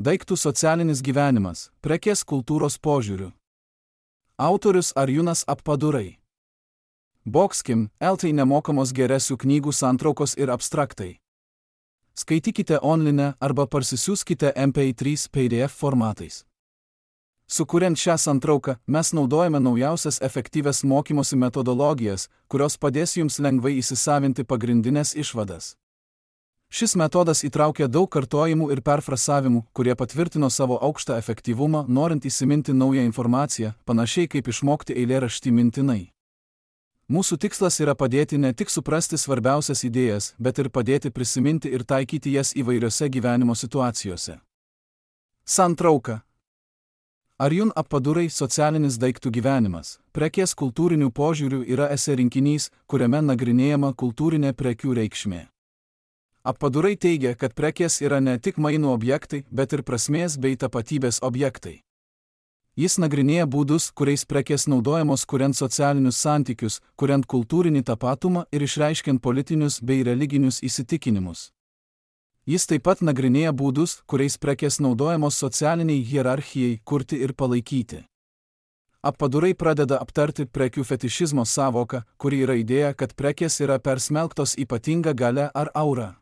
Daiktų socialinis gyvenimas, prekės kultūros požiūriu. Autorius Arjunas Appadurai. Boxkim, LT nemokamos geresių knygų santraukos ir abstraktai. Skaitykite online arba parsisiųskite MP3 PDF formatais. Sukuriant šią santrauką, mes naudojame naujausias efektyvias mokymosi metodologijas, kurios padės jums lengvai įsisavinti pagrindinės išvadas. Šis metodas įtraukia daug kartojimų ir perfrasavimų, kurie patvirtino savo aukštą efektyvumą, norint įsiminti naują informaciją, panašiai kaip išmokti eilėraštį mintinai. Mūsų tikslas yra padėti ne tik suprasti svarbiausias idėjas, bet ir padėti prisiminti ir taikyti jas įvairiose gyvenimo situacijose. Santrauka. Arjun Appadurai socialinis daiktų gyvenimas, prekės kultūrinių požiūrių yra esė rinkinys, kuriame nagrinėjama kultūrinė prekių reikšmė. Appadurai teigia, kad prekės yra ne tik mainų objektai, bet ir prasmės bei tapatybės objektai. Jis nagrinėja būdus, kuriais prekės naudojamos kuriant socialinius santykius, kuriant kultūrinį tapatumą ir išreiškiant politinius bei religinius įsitikinimus. Jis taip pat nagrinėja būdus, kuriais prekės naudojamos socialiniai hierarchijai kurti ir palaikyti. Appadurai pradeda aptarti prekių fetišizmo sąvoką, kuri yra idėja, kad prekės yra persmelktos ypatinga galia ar aura.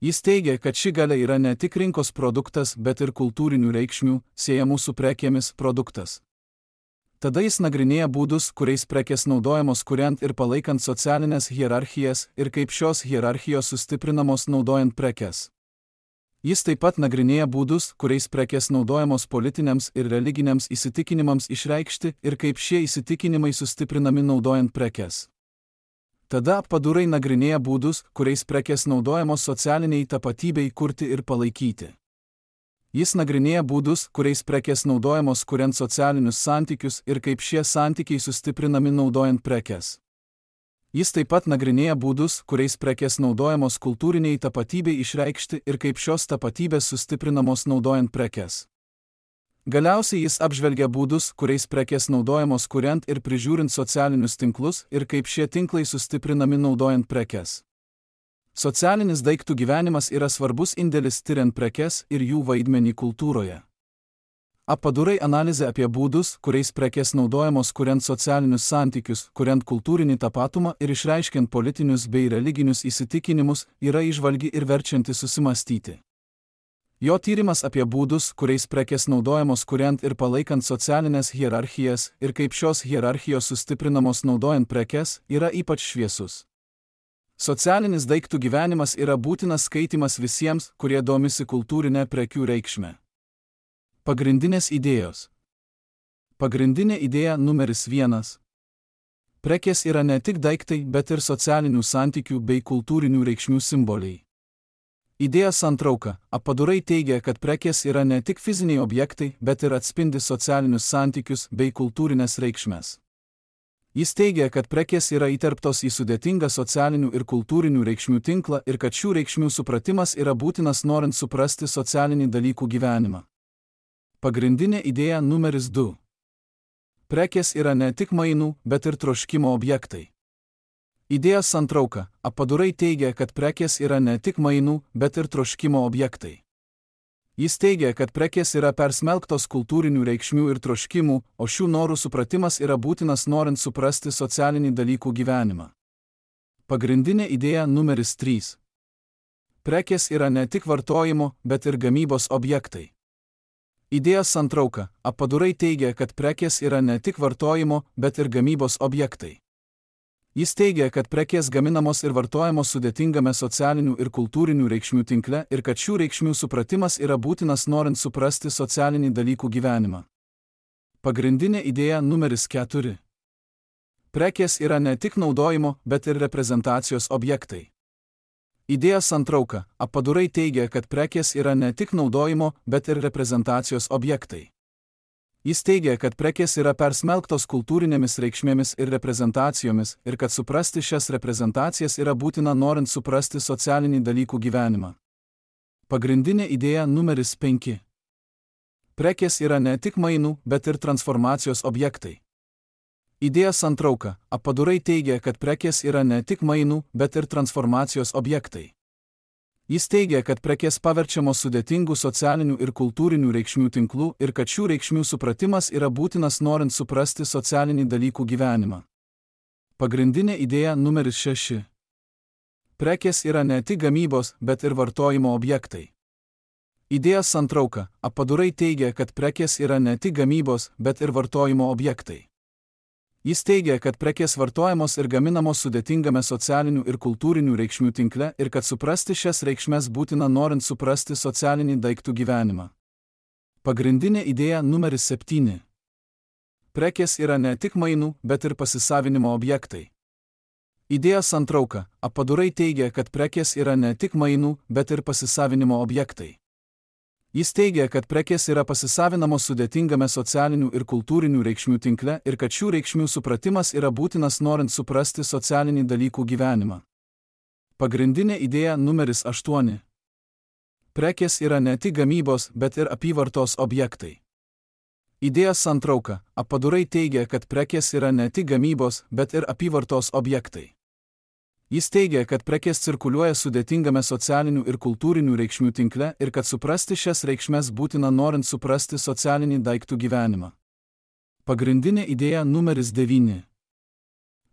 Jis teigia, kad ši galia yra ne tik rinkos produktas, bet ir kultūrinių reikšmių, siejamų su prekėmis produktas. Tada jis nagrinėja būdus, kuriais prekės naudojamos kuriant ir palaikant socialinės hierarchijas ir kaip šios hierarchijos sustiprinamos naudojant prekes. Jis taip pat nagrinėja būdus, kuriais prekės naudojamos politiniams ir religiniams įsitikinimams išreikšti ir kaip šie įsitikinimai sustiprinami naudojant prekes. Tada Appadurai nagrinėja būdus, kuriais prekės naudojamos socialiniai tapatybei kurti ir palaikyti. Jis nagrinėja būdus, kuriais prekės naudojamos kuriant socialinius santykius ir kaip šie santykiai sustiprinami naudojant prekes. Jis taip pat nagrinėja būdus, kuriais prekės naudojamos kultūriniai tapatybei išreikšti ir kaip šios tapatybės sustiprinamos naudojant prekes. Galiausiai jis apžvelgia būdus, kuriais prekės naudojamos kuriant ir prižiūrint socialinius tinklus ir kaip šie tinklai sustiprinami naudojant prekes. Socialinis daiktų gyvenimas yra svarbus indėlis tiriant prekes ir jų vaidmenį kultūroje. Appadurai analizė apie būdus, kuriais prekės naudojamos kuriant socialinius santykius, kuriant kultūrinį tapatumą ir išreiškiant politinius bei religinius įsitikinimus, yra įžvalgi ir verčianti susimastyti. Jo tyrimas apie būdus, kuriais prekės naudojamos kuriant ir palaikant socialinės hierarchijas ir kaip šios hierarchijos sustiprinamos naudojant prekes, yra ypač šviesus. Socialinis daiktų gyvenimas yra būtinas skaitymas visiems, kurie domisi kultūrinę prekių reikšmę. Pagrindinės idėjos. Pagrindinė idėja numeris 1. Prekės yra ne tik daiktai, bet ir socialinių santykių bei kultūrinių reikšmių simboliai. Idėja santrauka. Appadurai teigia, kad prekės yra ne tik fiziniai objektai, bet ir atspindi socialinius santykius bei kultūrinės reikšmes. Jis teigia, kad prekės yra įterptos į sudėtingą socialinių ir kultūrinių reikšmių tinklą ir kad šių reikšmių supratimas yra būtinas norint suprasti socialinį dalykų gyvenimą. Pagrindinė idėja numeris 2. Prekės yra ne tik mainų, bet ir troškimo objektai. Idėja santrauka. Appadurai teigia, kad prekės yra ne tik mainų, bet ir troškimo objektai. Jis teigia, kad prekės yra persmelktos kultūrinių reikšmių ir troškimų, o šių norų supratimas yra būtinas norint suprasti socialinį dalykų gyvenimą. Pagrindinė idėja numeris 3. Prekės yra ne tik vartojimo, bet ir gamybos objektai. Idėja santrauka. Appadurai teigia, kad prekės yra ne tik vartojimo, bet ir gamybos objektai. Jis teigia, kad prekės gaminamos ir vartojamos sudėtingame socialinių ir kultūrinių reikšmių tinkle ir kad šių reikšmių supratimas yra būtinas norint suprasti socialinį dalykų gyvenimą. Pagrindinė idėja numeris 4. Prekės yra ne tik naudojimo, bet ir reprezentacijos objektai. Idėja santrauka. Appadurai teigia, kad prekės yra ne tik naudojimo, bet ir reprezentacijos objektai. Jis teigia, kad prekės yra persmelktos kultūrinėmis reikšmėmis ir reprezentacijomis ir kad suprasti šias reprezentacijas yra būtina norint suprasti socialinį dalykų gyvenimą. Pagrindinė idėja numeris 5. Prekės yra ne tik mainų, bet ir transformacijos objektai. Idėja santrauka. Appadurai teigia, kad prekės yra ne tik mainų, bet ir transformacijos objektai. Jis teigia, kad prekės paverčiamos sudėtingų socialinių ir kultūrinių reikšmių tinklų ir kad šių reikšmių supratimas yra būtinas norint suprasti socialinį dalykų gyvenimą. Pagrindinė idėja numeris 6. Prekės yra ne tik gamybos, bet ir vartojimo objektai. Idėjos santrauka. Apadurai teigia, kad prekės yra ne tik gamybos, bet ir vartojimo objektai. Jis teigia, kad prekės vartojamos ir gaminamos sudėtingame socialinių ir kultūrinių reikšmių tinkle ir kad suprasti šias reikšmes būtina norint suprasti socialinį daiktų gyvenimą. Pagrindinė idėja numeris 7. Prekės yra ne tik mainų, bet ir pasisavinimo objektai. Idėjos santrauka. Apadurai teigia, kad prekės yra ne tik mainų, bet ir pasisavinimo objektai. Jis teigia, kad prekės yra pasisavinamos sudėtingame socialinių ir kultūrinių reikšmių tinkle ir kad šių reikšmių supratimas yra būtinas norint suprasti socialinį dalykų gyvenimą. Pagrindinė idėja numeris 8. Prekės yra ne tik gamybos, bet ir apyvartos objektai. Idėjos santrauka. Apadurai teigia, kad prekės yra ne tik gamybos, bet ir apyvartos objektai. Jis teigia, kad prekės cirkuliuoja sudėtingame socialinių ir kultūrinių reikšmių tinkle ir kad suprasti šias reikšmes būtina norint suprasti socialinį daiktų gyvenimą. Pagrindinė idėja numeris 9.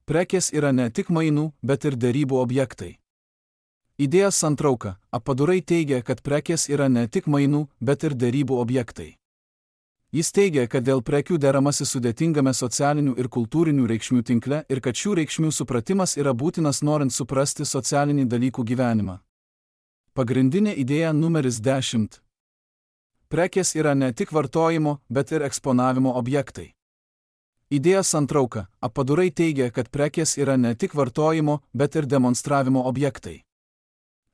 Prekės yra ne tik mainų, bet ir derybų objektai. Idėjos santrauka. Apadurai teigia, kad prekės yra ne tik mainų, bet ir derybų objektai. Jis teigia, kad dėl prekių deramasi sudėtingame socialinių ir kultūrinių reikšmių tinkle ir kad šių reikšmių supratimas yra būtinas norint suprasti socialinį dalykų gyvenimą. Pagrindinė idėja numeris 10. Prekės yra ne tik vartojimo, bet ir eksponavimo objektai. Idėjos santrauka. Apadurai teigia, kad prekės yra ne tik vartojimo, bet ir demonstravimo objektai.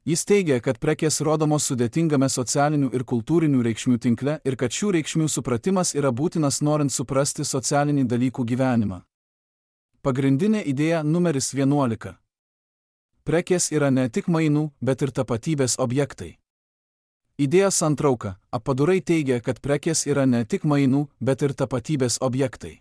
Jis teigia, kad prekės rodomos sudėtingame socialinių ir kultūrinių reikšmių tinkle ir kad šių reikšmių supratimas yra būtinas norint suprasti socialinį dalykų gyvenimą. Pagrindinė idėja numeris 11. Prekės yra ne tik mainų, bet ir tapatybės objektai. Idėjos santrauka. Apadurai teigia, kad prekės yra ne tik mainų, bet ir tapatybės objektai.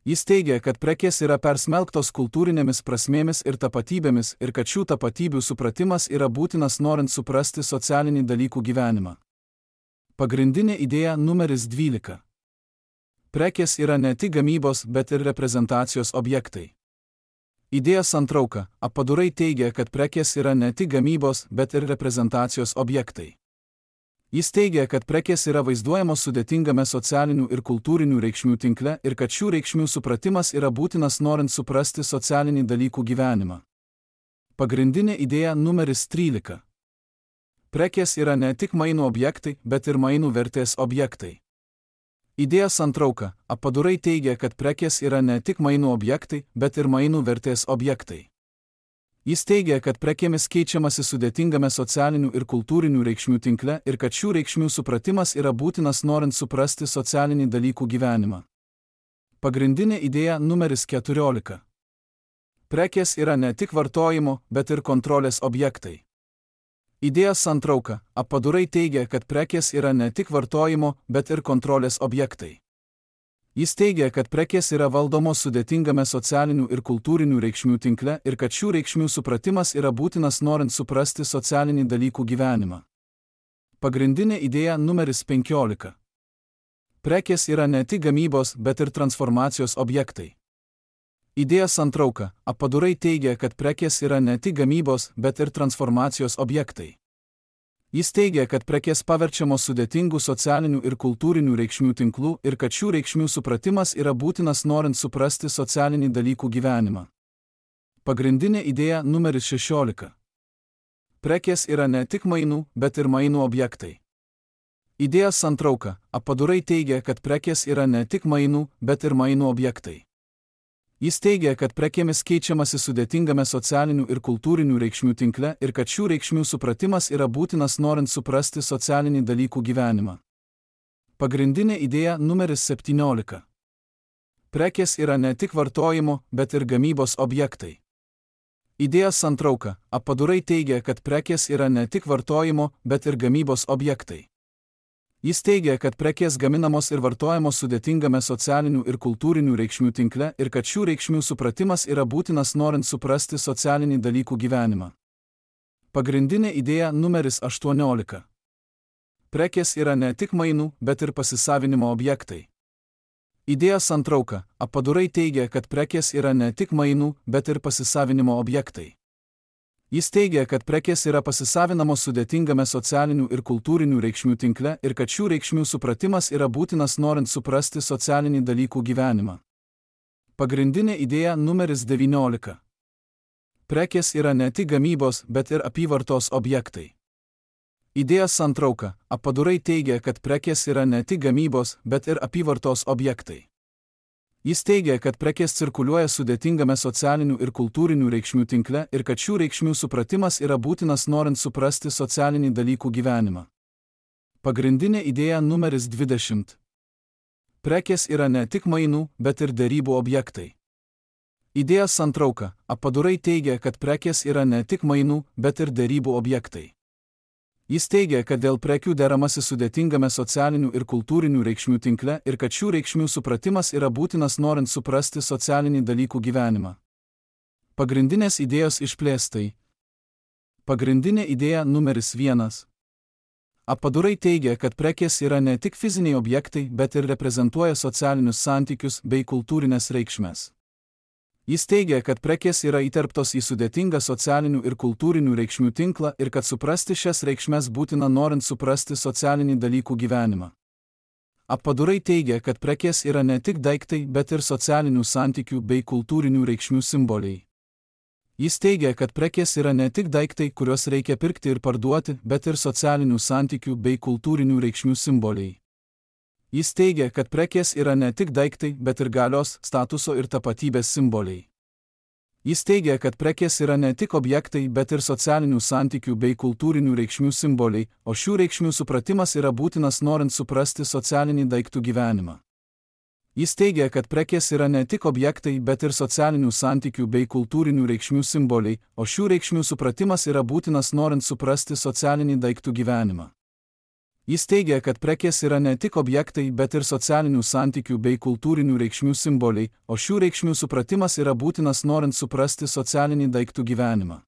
Jis teigia, kad prekės yra persmelktos kultūrinėmis prasmėmis ir tapatybėmis ir kad šių tapatybių supratimas yra būtinas norint suprasti socialinį dalykų gyvenimą. Pagrindinė idėja numeris 12. Prekės yra ne tik gamybos, bet ir reprezentacijos objektai. Idėjos santrauka. Apadurai teigia, kad prekės yra ne tik gamybos, bet ir reprezentacijos objektai. Jis teigia, kad prekės yra vaizduojamos sudėtingame socialinių ir kultūrinių reikšmių tinkle ir kad šių reikšmių supratimas yra būtinas norint suprasti socialinį dalykų gyvenimą. Pagrindinė idėja numeris 13. Prekės yra ne tik mainų objektai, bet ir mainų vertės objektai. Idėjos santrauka. Apadurai teigia, kad prekės yra ne tik mainų objektai, bet ir mainų vertės objektai. Jis teigia, kad prekėmis keičiamasi sudėtingame socialinių ir kultūrinių reikšmių tinkle ir kad šių reikšmių supratimas yra būtinas norint suprasti socialinį dalykų gyvenimą. Pagrindinė idėja numeris 14. Prekės yra ne tik vartojimo, bet ir kontrolės objektai. Idėjos santrauka. Apadurai teigia, kad prekės yra ne tik vartojimo, bet ir kontrolės objektai. Jis teigia, kad prekės yra valdomos sudėtingame socialinių ir kultūrinių reikšmių tinkle ir kad šių reikšmių supratimas yra būtinas norint suprasti socialinį dalykų gyvenimą. Pagrindinė idėja numeris 15. Prekės yra ne tik gamybos, bet ir transformacijos objektai. Idėjos santrauka. Apadurai teigia, kad prekės yra ne tik gamybos, bet ir transformacijos objektai. Jis teigia, kad prekės paverčiamos sudėtingų socialinių ir kultūrinių reikšmių tinklų ir kad šių reikšmių supratimas yra būtinas norint suprasti socialinį dalykų gyvenimą. Pagrindinė idėja numeris 16. Prekės yra ne tik mainų, bet ir mainų objektai. Idėjos santrauka. Apadurai teigia, kad prekės yra ne tik mainų, bet ir mainų objektai. Jis teigia, kad prekėmis keičiamasi sudėtingame socialinių ir kultūrinių reikšmių tinkle ir kad šių reikšmių supratimas yra būtinas norint suprasti socialinį dalykų gyvenimą. Pagrindinė idėja numeris 17. Prekės yra ne tik vartojimo, bet ir gamybos objektai. Idėjos santrauka. Apadurai teigia, kad prekės yra ne tik vartojimo, bet ir gamybos objektai. Jis teigia, kad prekės gaminamos ir vartojamos sudėtingame socialinių ir kultūrinių reikšmių tinkle ir kad šių reikšmių supratimas yra būtinas norint suprasti socialinį dalykų gyvenimą. Pagrindinė idėja numeris 18. Prekės yra ne tik mainų, bet ir pasisavinimo objektai. Idėjos santrauka. Apadurai teigia, kad prekės yra ne tik mainų, bet ir pasisavinimo objektai. Jis teigia, kad prekės yra pasisavinamos sudėtingame socialinių ir kultūrinių reikšmių tinkle ir kad šių reikšmių supratimas yra būtinas norint suprasti socialinį dalykų gyvenimą. Pagrindinė idėja numeris 19. Prekės yra ne tik gamybos, bet ir apyvartos objektai. Idėjos santrauka. Apadurai teigia, kad prekės yra ne tik gamybos, bet ir apyvartos objektai. Jis teigia, kad prekės cirkuliuoja sudėtingame socialinių ir kultūrinių reikšmių tinkle ir kad šių reikšmių supratimas yra būtinas norint suprasti socialinį dalykų gyvenimą. Pagrindinė idėja numeris 20. Prekės yra ne tik mainų, bet ir derybų objektai. Idėjos santrauka. Apadurai teigia, kad prekės yra ne tik mainų, bet ir derybų objektai. Jis teigia, kad dėl prekių deramasi sudėtingame socialinių ir kultūrinių reikšmių tinkle ir kad šių reikšmių supratimas yra būtinas norint suprasti socialinį dalykų gyvenimą. Pagrindinės idėjos išplėstai. Pagrindinė idėja numeris 1. Apadurai teigia, kad prekės yra ne tik fiziniai objektai, bet ir reprezentuoja socialinius santykius bei kultūrinės reikšmes. Jis teigia, kad prekės yra įterptos į sudėtingą socialinių ir kultūrinių reikšmių tinklą ir kad suprasti šias reikšmes būtina norint suprasti socialinį dalykų gyvenimą. Apadurai teigia, kad prekės yra ne tik daiktai, bet ir socialinių santykių bei kultūrinių reikšmių simboliai. Jis teigia, kad prekės yra ne tik daiktai, kuriuos reikia pirkti ir parduoti, bet ir socialinių santykių bei kultūrinių reikšmių simboliai. Jis teigia, kad prekės yra ne tik daiktai, bet ir galios, statuso ir tapatybės simboliai. Jis teigia, kad prekės yra ne tik objektai, bet ir socialinių santykių bei kultūrinių reikšmių simboliai, o šių reikšmių supratimas yra būtinas norint suprasti socialinį daiktų gyvenimą. Jis teigia, kad prekės yra ne tik objektai, bet ir socialinių santykių bei kultūrinių reikšmių simboliai, o šių reikšmių supratimas yra būtinas norint suprasti socialinį daiktų gyvenimą. Jis teigia, kad prekės yra ne tik objektai, bet ir socialinių santykių bei kultūrinių reikšmių simboliai, o šių reikšmių supratimas yra būtinas norint suprasti socialinį daiktų gyvenimą.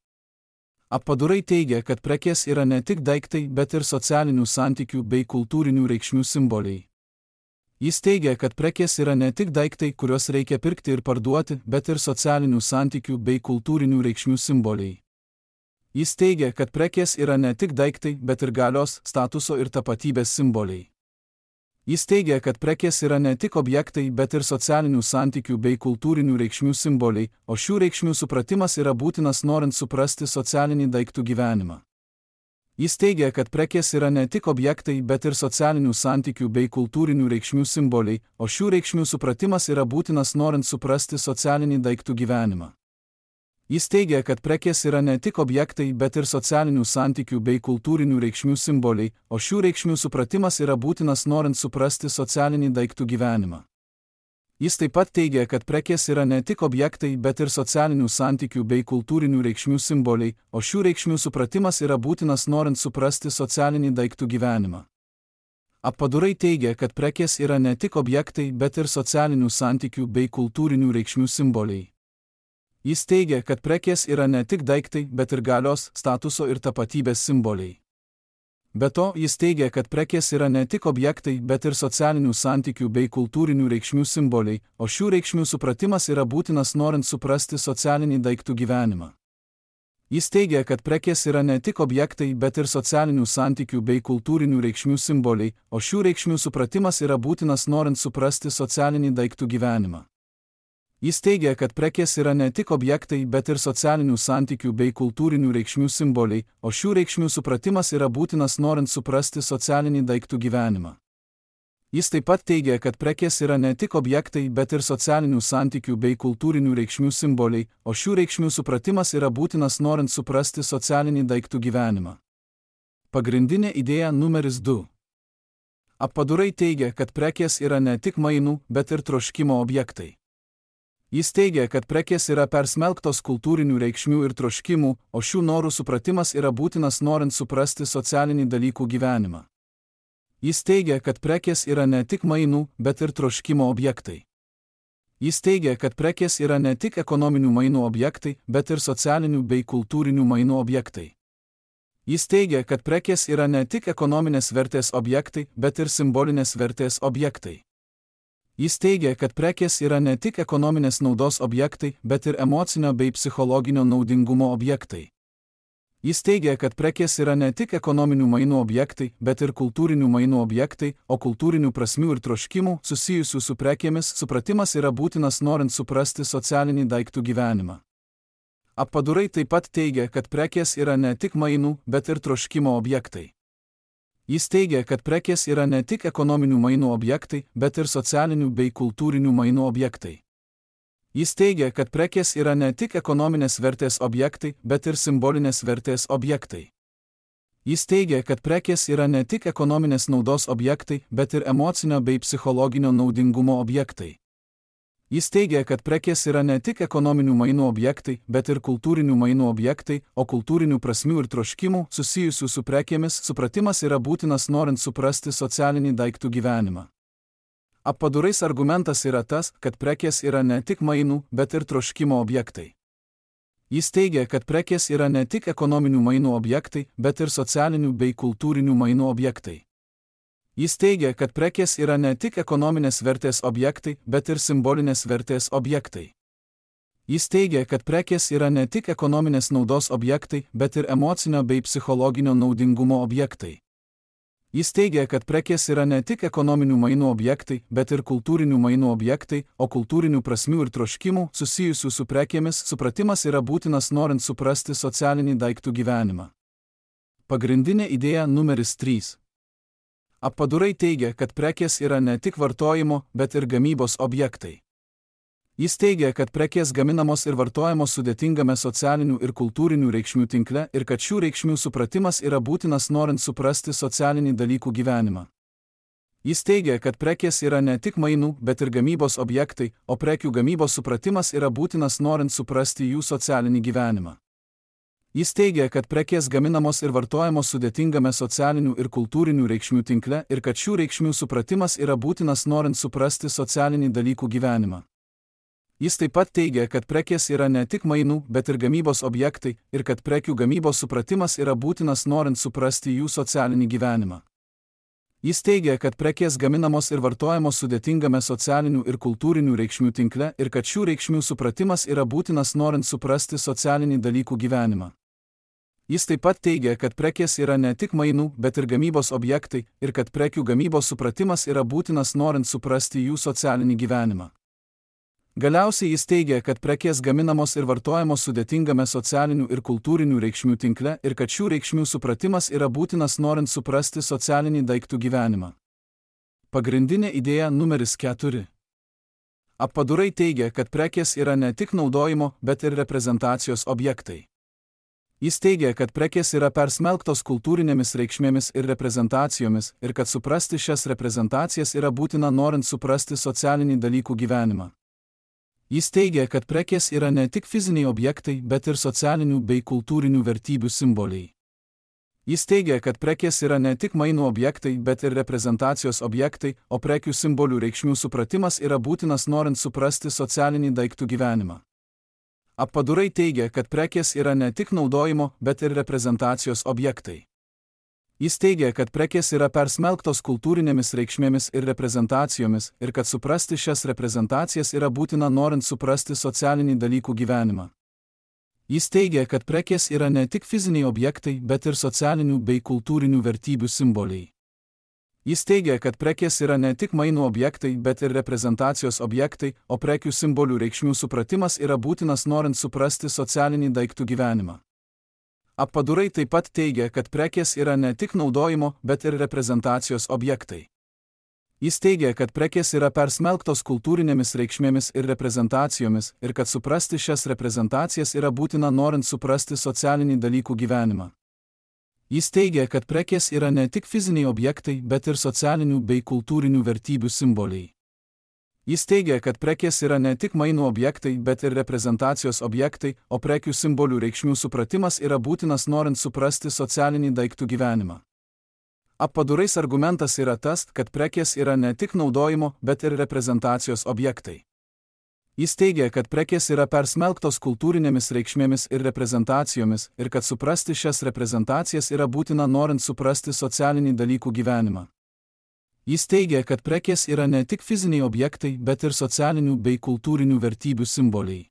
Apadurai teigia, kad prekės yra ne tik daiktai, bet ir socialinių santykių bei kultūrinių reikšmių simboliai. Jis teigia, kad prekės yra ne tik daiktai, kuriuos reikia pirkti ir parduoti, bet ir socialinių santykių bei kultūrinių reikšmių simboliai. Jis teigia, kad prekės yra ne tik daiktai, bet ir galios, statuso ir tapatybės simboliai. Jis teigia, kad prekės yra ne tik objektai, bet ir socialinių santykių bei kultūrinių reikšmių simboliai, o šių reikšmių supratimas yra būtinas norint suprasti socialinį daiktų gyvenimą. Jis teigia, kad prekės yra ne tik objektai, bet ir socialinių santykių bei kultūrinių reikšmių simboliai, o šių reikšmių supratimas yra būtinas norint suprasti socialinį daiktų gyvenimą. Jis teigia, kad prekės yra ne tik objektai, bet ir socialinių santykių bei kultūrinių reikšmių simboliai, o šių reikšmių supratimas yra būtinas norint suprasti socialinį daiktų gyvenimą. Jis taip pat teigia, kad prekės yra ne tik objektai, bet ir socialinių santykių bei kultūrinių reikšmių simboliai, o šių reikšmių supratimas yra būtinas norint suprasti socialinį daiktų gyvenimą. Apadurai teigia, kad prekės yra ne tik objektai, bet ir socialinių santykių bei kultūrinių reikšmių simboliai. Jis teigia, kad prekės yra ne tik daiktai, bet ir galios, statuso ir tapatybės simboliai. Be to, jis teigia, kad prekės yra ne tik objektai, bet ir socialinių santykių bei kultūrinių reikšmių simboliai, o šių reikšmių supratimas yra būtinas norint suprasti socialinį daiktų gyvenimą. Jis teigia, kad prekės yra ne tik objektai, bet ir socialinių santykių bei kultūrinių reikšmių simboliai, o šių reikšmių supratimas yra būtinas norint suprasti socialinį daiktų gyvenimą. Jis teigia, kad prekės yra ne tik objektai, bet ir socialinių santykių bei kultūrinių reikšmių simboliai, o šių reikšmių supratimas yra būtinas norint suprasti socialinį daiktų gyvenimą. Jis taip pat teigia, kad prekės yra ne tik objektai, bet ir socialinių santykių bei kultūrinių reikšmių simboliai, o šių reikšmių supratimas yra būtinas norint suprasti socialinį daiktų gyvenimą. Pagrindinė idėja numeris 2. Apadurai teigia, kad prekės yra ne tik mainų, bet ir troškimo objektai. Jis teigia, kad prekės yra persmelktos kultūrinių reikšmių ir troškimų, o šių norų supratimas yra būtinas norint suprasti socialinį dalykų gyvenimą. Jis teigia, kad prekės yra ne tik mainų, bet ir troškimo objektai. Jis teigia, kad prekės yra ne tik ekonominių mainų objektai, bet ir socialinių bei kultūrinių mainų objektai. Jis teigia, kad prekės yra ne tik ekonominės vertės objektai, bet ir simbolinės vertės objektai. Jis teigia, kad prekės yra ne tik ekonominės naudos objektai, bet ir emocinio bei psichologinio naudingumo objektai. Jis teigia, kad prekės yra ne tik ekonominių mainų objektai, bet ir kultūrinių mainų objektai, o kultūrinių prasmių ir troškimų susijusių su prekėmis supratimas yra būtinas norint suprasti socialinį daiktų gyvenimą. Appadurai taip pat teigia, kad prekės yra ne tik mainų, bet ir troškimo objektai. Jis teigia, kad prekės yra ne tik ekonominių mainų objektai, bet ir socialinių bei kultūrinių mainų objektai. Jis teigia, kad prekės yra ne tik ekonominės vertės objektai, bet ir simbolinės vertės objektai. Jis teigia, kad prekės yra ne tik ekonominės naudos objektai, bet ir emocinio bei psichologinio naudingumo objektai. Jis teigia, kad prekės yra ne tik ekonominių mainų objektai, bet ir kultūrinių mainų objektai, o kultūrinių prasmių ir troškimų susijusių su prekėmis supratimas yra būtinas norint suprasti socialinį daiktų gyvenimą. Appadurais argumentas yra tas, kad prekės yra ne tik mainų, bet ir troškimo objektai. Jis teigia, kad prekės yra ne tik ekonominių mainų objektai, bet ir socialinių bei kultūrinių mainų objektai. Jis teigia, kad prekės yra ne tik ekonominės vertės objektai, bet ir simbolinės vertės objektai. Jis teigia, kad prekės yra ne tik ekonominės naudos objektai, bet ir emocinio bei psichologinio naudingumo objektai. Jis teigia, kad prekės yra ne tik ekonominių mainų objektai, bet ir kultūrinių mainų objektai, o kultūrinių prasmių ir troškimų susijusių su prekėmis supratimas yra būtinas norint suprasti socialinį daiktų gyvenimą. Pagrindinė idėja numeris 3. Appadurai teigia, kad prekės yra ne tik vartojimo, bet ir gamybos objektai. Jis teigia, kad prekės gaminamos ir vartojamos sudėtingame socialinių ir kultūrinių reikšmių tinkle ir kad šių reikšmių supratimas yra būtinas norint suprasti socialinį dalykų gyvenimą. Jis teigia, kad prekės yra ne tik mainų, bet ir gamybos objektai, o prekių gamybos supratimas yra būtinas norint suprasti jų socialinį gyvenimą. Jis teigia, kad prekės gaminamos ir vartojamos sudėtingame socialinių ir kultūrinių reikšmių tinkle ir kad šių reikšmių supratimas yra būtinas norint suprasti socialinį dalykų gyvenimą. Jis taip pat teigia, kad prekės yra ne tik mainų, bet ir gamybos objektai ir kad prekių gamybos supratimas yra būtinas norint suprasti jų socialinį gyvenimą. Jis teigia, kad prekės gaminamos ir vartojamos sudėtingame socialinių ir kultūrinių reikšmių tinkle ir kad šių reikšmių supratimas yra būtinas norint suprasti socialinį dalykų gyvenimą. Jis taip pat teigia, kad prekės yra ne tik mainų, bet ir gamybos objektai ir kad prekių gamybos supratimas yra būtinas norint suprasti jų socialinį gyvenimą. Galiausiai jis teigia, kad prekės gaminamos ir vartojamos sudėtingame socialinių ir kultūrinių reikšmių tinkle ir kad šių reikšmių supratimas yra būtinas norint suprasti socialinį daiktų gyvenimą. Pagrindinė idėja numeris 4. Appadurai teigia, kad prekės yra ne tik naudojimo, bet ir reprezentacijos objektai. Jis teigia, kad prekės yra persmelktos kultūrinėmis reikšmėmis ir reprezentacijomis ir kad suprasti šias reprezentacijas yra būtina norint suprasti socialinį dalykų gyvenimą. Jis teigia, kad prekės yra ne tik fiziniai objektai, bet ir socialinių bei kultūrinių vertybių simboliai. Jis teigia, kad prekės yra ne tik mainų objektai, bet ir reprezentacijos objektai, o prekių simbolių reikšmių supratimas yra būtinas norint suprasti socialinį daiktų gyvenimą. Appadurai teigia, kad prekės yra ne tik naudojimo, bet ir reprezentacijos objektai. Jis teigia, kad prekės yra persmelktos kultūrinėmis reikšmėmis ir reprezentacijomis ir kad suprasti šias reprezentacijas yra būtina norint suprasti socialinį dalykų gyvenimą. Jis teigia, kad prekės yra ne tik fiziniai objektai, bet ir socialinių bei kultūrinių vertybių simboliai. Jis teigia, kad prekės yra ne tik mainų objektai, bet ir reprezentacijos objektai, o prekių simbolių reikšmių supratimas yra būtinas norint suprasti socialinį daiktų gyvenimą. Appadurai taip pat teigia, kad prekės yra ne tik naudojimo, bet ir reprezentacijos objektai. Jis teigia, kad prekės yra persmelktos kultūrinėmis reikšmėmis ir reprezentacijomis ir kad suprasti šias reprezentacijas yra būtina norint suprasti socialinį dalykų gyvenimą. Jis teigia, kad prekės yra ne tik fiziniai objektai, bet ir socialinių bei kultūrinių vertybių simboliai. Jis teigia, kad prekės yra ne tik mainų objektai, bet ir reprezentacijos objektai, o prekių simbolių reikšmių supratimas yra būtinas norint suprasti socialinį daiktų gyvenimą. Appadurais argumentas yra tas, kad prekės yra ne tik naudojimo, bet ir reprezentacijos objektai. Jis teigia, kad prekės yra persmelktos kultūrinėmis reikšmėmis ir reprezentacijomis ir kad suprasti šias reprezentacijas yra būtina norint suprasti socialinį dalykų gyvenimą. Jis teigia, kad prekės yra ne tik fiziniai objektai, bet ir socialinių bei kultūrinių vertybių simboliai.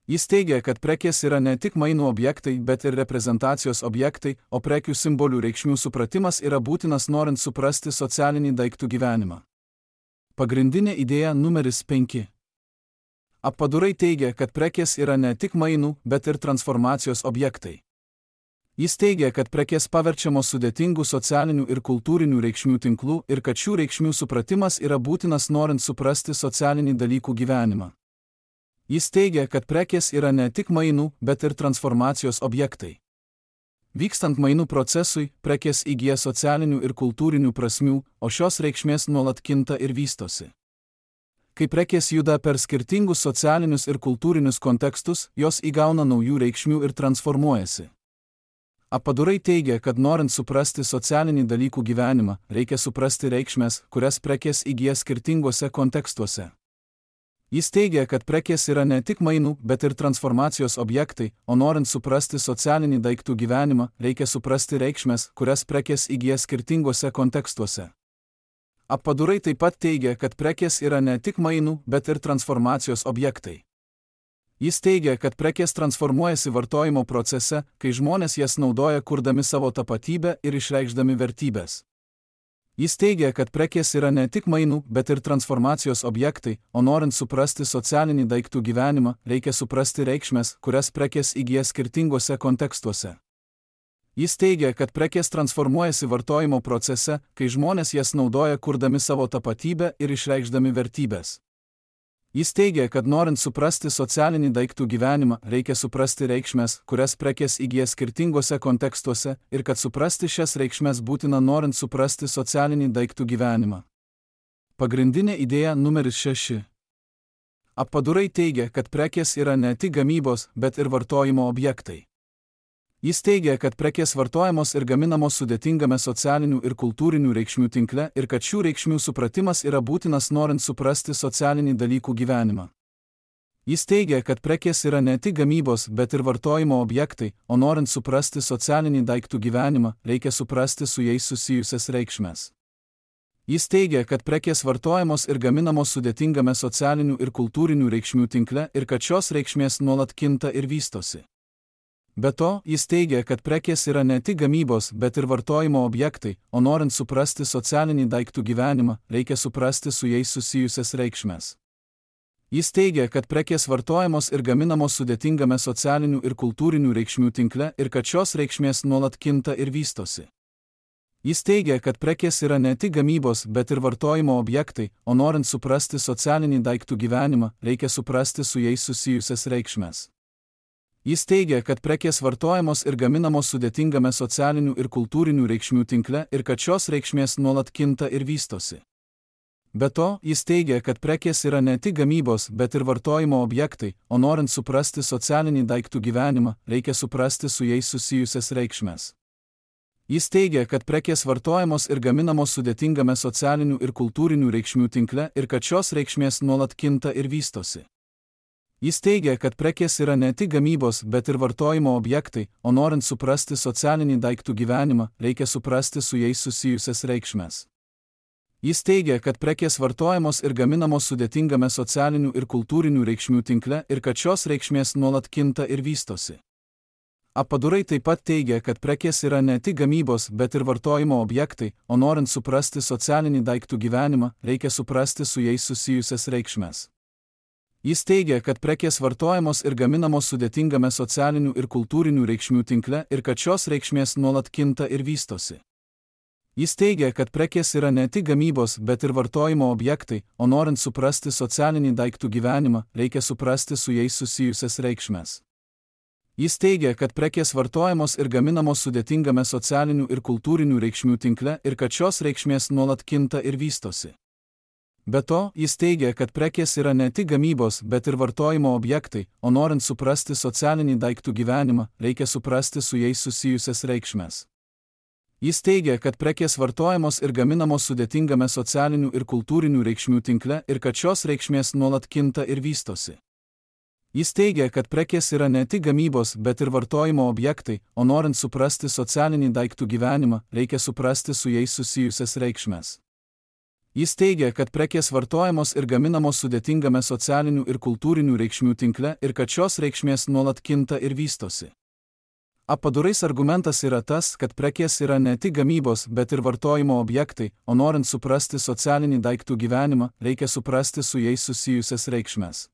Jis teigia, kad prekės yra ne tik mainų objektai, bet ir reprezentacijos objektai, o prekių simbolių reikšmių supratimas yra būtinas norint suprasti socialinį daiktų gyvenimą. Pagrindinė idėja numeris 5. Appadurai teigia, kad prekės yra ne tik mainų, bet ir transformacijos objektai. Jis teigia, kad prekės paverčiamos sudėtingų socialinių ir kultūrinių reikšmių tinklų ir kad šių reikšmių supratimas yra būtinas norint suprasti socialinį dalykų gyvenimą. Jis teigia, kad prekės yra ne tik mainų, bet ir transformacijos objektai. Vykstant mainų procesui, prekės įgyja socialinių ir kultūrinių prasmių, o šios reikšmės nuolat kinta ir vystosi. Kai prekės juda per skirtingus socialinius ir kultūrinius kontekstus, jos įgauna naujų reikšmių ir transformuojasi. Appadurai teigia, kad norint suprasti socialinį dalykų gyvenimą, reikia suprasti reikšmes, kurias prekės įgyja skirtinguose kontekstuose. Jis teigia, kad prekės yra ne tik mainų, bet ir transformacijos objektai, o norint suprasti socialinį daiktų gyvenimą, reikia suprasti reikšmes, kurias prekės įgyja skirtinguose kontekstuose. Appadurai taip pat teigia, kad prekės yra ne tik mainų, bet ir transformacijos objektai. Jis teigia, kad prekės transformuojasi vartojimo procese, kai žmonės jas naudoja kurdami savo tapatybę ir išreikšdami vertybės. Jis teigia, kad prekės yra ne tik mainų, bet ir transformacijos objektai, o norint suprasti socialinį daiktų gyvenimą, reikia suprasti reikšmes, kurias prekės įgyja skirtinguose kontekstuose. Jis teigia, kad prekės transformuojasi vartojimo procese, kai žmonės jas naudoja kurdami savo tapatybę ir išreikšdami vertybės. Jis teigia, kad norint suprasti socialinį daiktų gyvenimą, reikia suprasti reikšmes, kurias prekės įgyja skirtinguose kontekstuose ir kad suprasti šias reikšmes būtina norint suprasti socialinį daiktų gyvenimą. Pagrindinė idėja numeris 6. Appadurai teigia, kad prekės yra ne tik gamybos, bet ir vartojimo objektai. Jis teigia, kad prekės vartojamos ir gaminamos sudėtingame socialinių ir kultūrinių reikšmių tinkle ir kad šių reikšmių supratimas yra būtinas norint suprasti socialinį dalykų gyvenimą. Jis teigia, kad prekės yra ne tik gamybos, bet ir vartojimo objektai, o norint suprasti socialinį daiktų gyvenimą, reikia suprasti su jais susijusias reikšmes. Jis teigia, kad prekės vartojamos ir gaminamos sudėtingame socialinių ir kultūrinių reikšmių tinkle ir kad šios reikšmės nuolat kinta ir vystosi. Be to, jis teigia, kad prekės yra ne tik gamybos, bet ir vartojimo objektai, o norint suprasti socialinį daiktų gyvenimą, reikia suprasti su jais susijusias reikšmes. Jis teigia, kad prekės vartojamos ir gaminamos sudėtingame socialinių ir kultūrinių reikšmių tinkle ir kad šios reikšmės nuolat kinta ir vystosi. Jis teigia, kad prekės yra ne tik gamybos, bet ir vartojimo objektai, o norint suprasti socialinį daiktų gyvenimą, reikia suprasti su jais susijusias reikšmes. Jis teigia, kad prekės vartojamos ir gaminamos sudėtingame socialinių ir kultūrinių reikšmių tinkle ir kad šios reikšmės nuolat kinta ir vystosi. Be to, jis teigia, kad prekės yra ne tik gamybos, bet ir vartojimo objektai, o norint suprasti socialinį daiktų gyvenimą, reikia suprasti su jais susijusias reikšmes. Jis teigia, kad prekės vartojamos ir gaminamos sudėtingame socialinių ir kultūrinių reikšmių tinkle ir kad šios reikšmės nuolat kinta ir vystosi. Jis teigia, kad prekės yra ne tik gamybos, bet ir vartojimo objektai, o norint suprasti socialinį daiktų gyvenimą, reikia suprasti su jais susijusias reikšmes. Jis teigia, kad prekės vartojamos ir gaminamos sudėtingame socialinių ir kultūrinių reikšmių tinkle ir kad šios reikšmės nuolat kinta ir vystosi. Appadurai taip pat teigia, kad prekės yra ne tik gamybos, bet ir vartojimo objektai, o norint suprasti socialinį daiktų gyvenimą, reikia suprasti su jais susijusias reikšmes. Jis teigia, kad prekės vartojamos ir gaminamos sudėtingame socialinių ir kultūrinių reikšmių tinkle ir kad šios reikšmės nuolat kinta ir vystosi. Jis teigia, kad prekės yra ne tik gamybos, bet ir vartojimo objektai, o norint suprasti socialinį daiktų gyvenimą, reikia suprasti su jais susijusias reikšmes. Jis teigia, kad prekės vartojamos ir gaminamos sudėtingame socialinių ir kultūrinių reikšmių tinkle ir kad šios reikšmės nuolat kinta ir vystosi. Be to, jis teigia, kad prekės yra ne tik gamybos, bet ir vartojimo objektai, o norint suprasti socialinį daiktų gyvenimą, reikia suprasti su jais susijusias reikšmes. Jis teigia, kad prekės vartojamos ir gaminamos sudėtingame socialinių ir kultūrinių reikšmių tinkle ir kad šios reikšmės nuolat kinta ir vystosi. Jis teigia, kad prekės yra ne tik gamybos, bet ir vartojimo objektai, o norint suprasti socialinį daiktų gyvenimą, reikia suprasti su jais susijusias reikšmes. Jis teigia, kad prekės vartojamos ir gaminamos sudėtingame socialinių ir kultūrinių reikšmių tinkle ir kad šios reikšmės nuolat kinta ir vystosi. Apadurais argumentas yra tas, kad prekės yra ne tik gamybos, bet ir vartojimo objektai, o norint suprasti socialinį daiktų gyvenimą, reikia suprasti su jais susijusias reikšmes.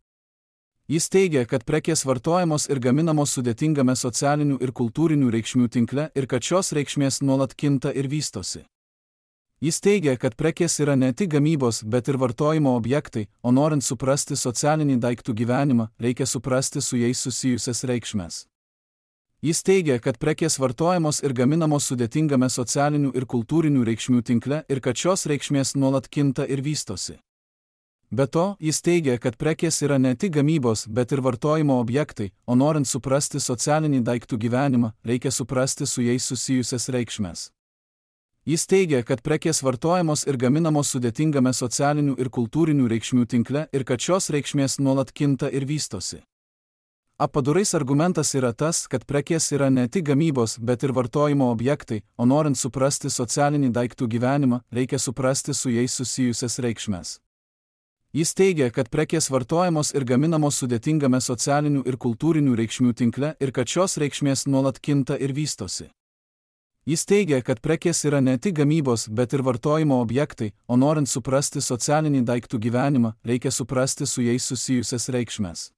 Jis teigia, kad prekės vartojamos ir gaminamos sudėtingame socialinių ir kultūrinių reikšmių tinkle ir kad šios reikšmės nuolat kinta ir vystosi. Jis teigia, kad prekės yra ne tik gamybos, bet ir vartojimo objektai, o norint suprasti socialinį daiktų gyvenimą, reikia suprasti su jais susijusias reikšmes. Jis teigia, kad prekės vartojamos ir gaminamos sudėtingame socialinių ir kultūrinių reikšmių tinkle ir kad šios reikšmės nuolat kinta ir vystosi. Be to, jis teigia, kad prekės yra ne tik gamybos, bet ir vartojimo objektai, o norint suprasti socialinį daiktų gyvenimą, reikia suprasti su jais susijusias reikšmes. Jis teigia, kad prekės vartojamos ir gaminamos sudėtingame socialinių ir kultūrinių reikšmių tinkle ir kad šios reikšmės nuolat kinta ir vystosi. Apadurais argumentas yra tas, kad prekės yra ne tik gamybos, bet ir vartojimo objektai, o norint suprasti socialinį daiktų gyvenimą, reikia suprasti su jais susijusias reikšmes. Jis teigia, kad prekės vartojamos ir gaminamos sudėtingame socialinių ir kultūrinių reikšmių tinkle ir kad šios reikšmės nuolat kinta ir vystosi. Jis teigia, kad prekės yra ne tik gamybos, bet ir vartojimo objektai, o norint suprasti socialinį daiktų gyvenimą, reikia suprasti su jais susijusias reikšmes.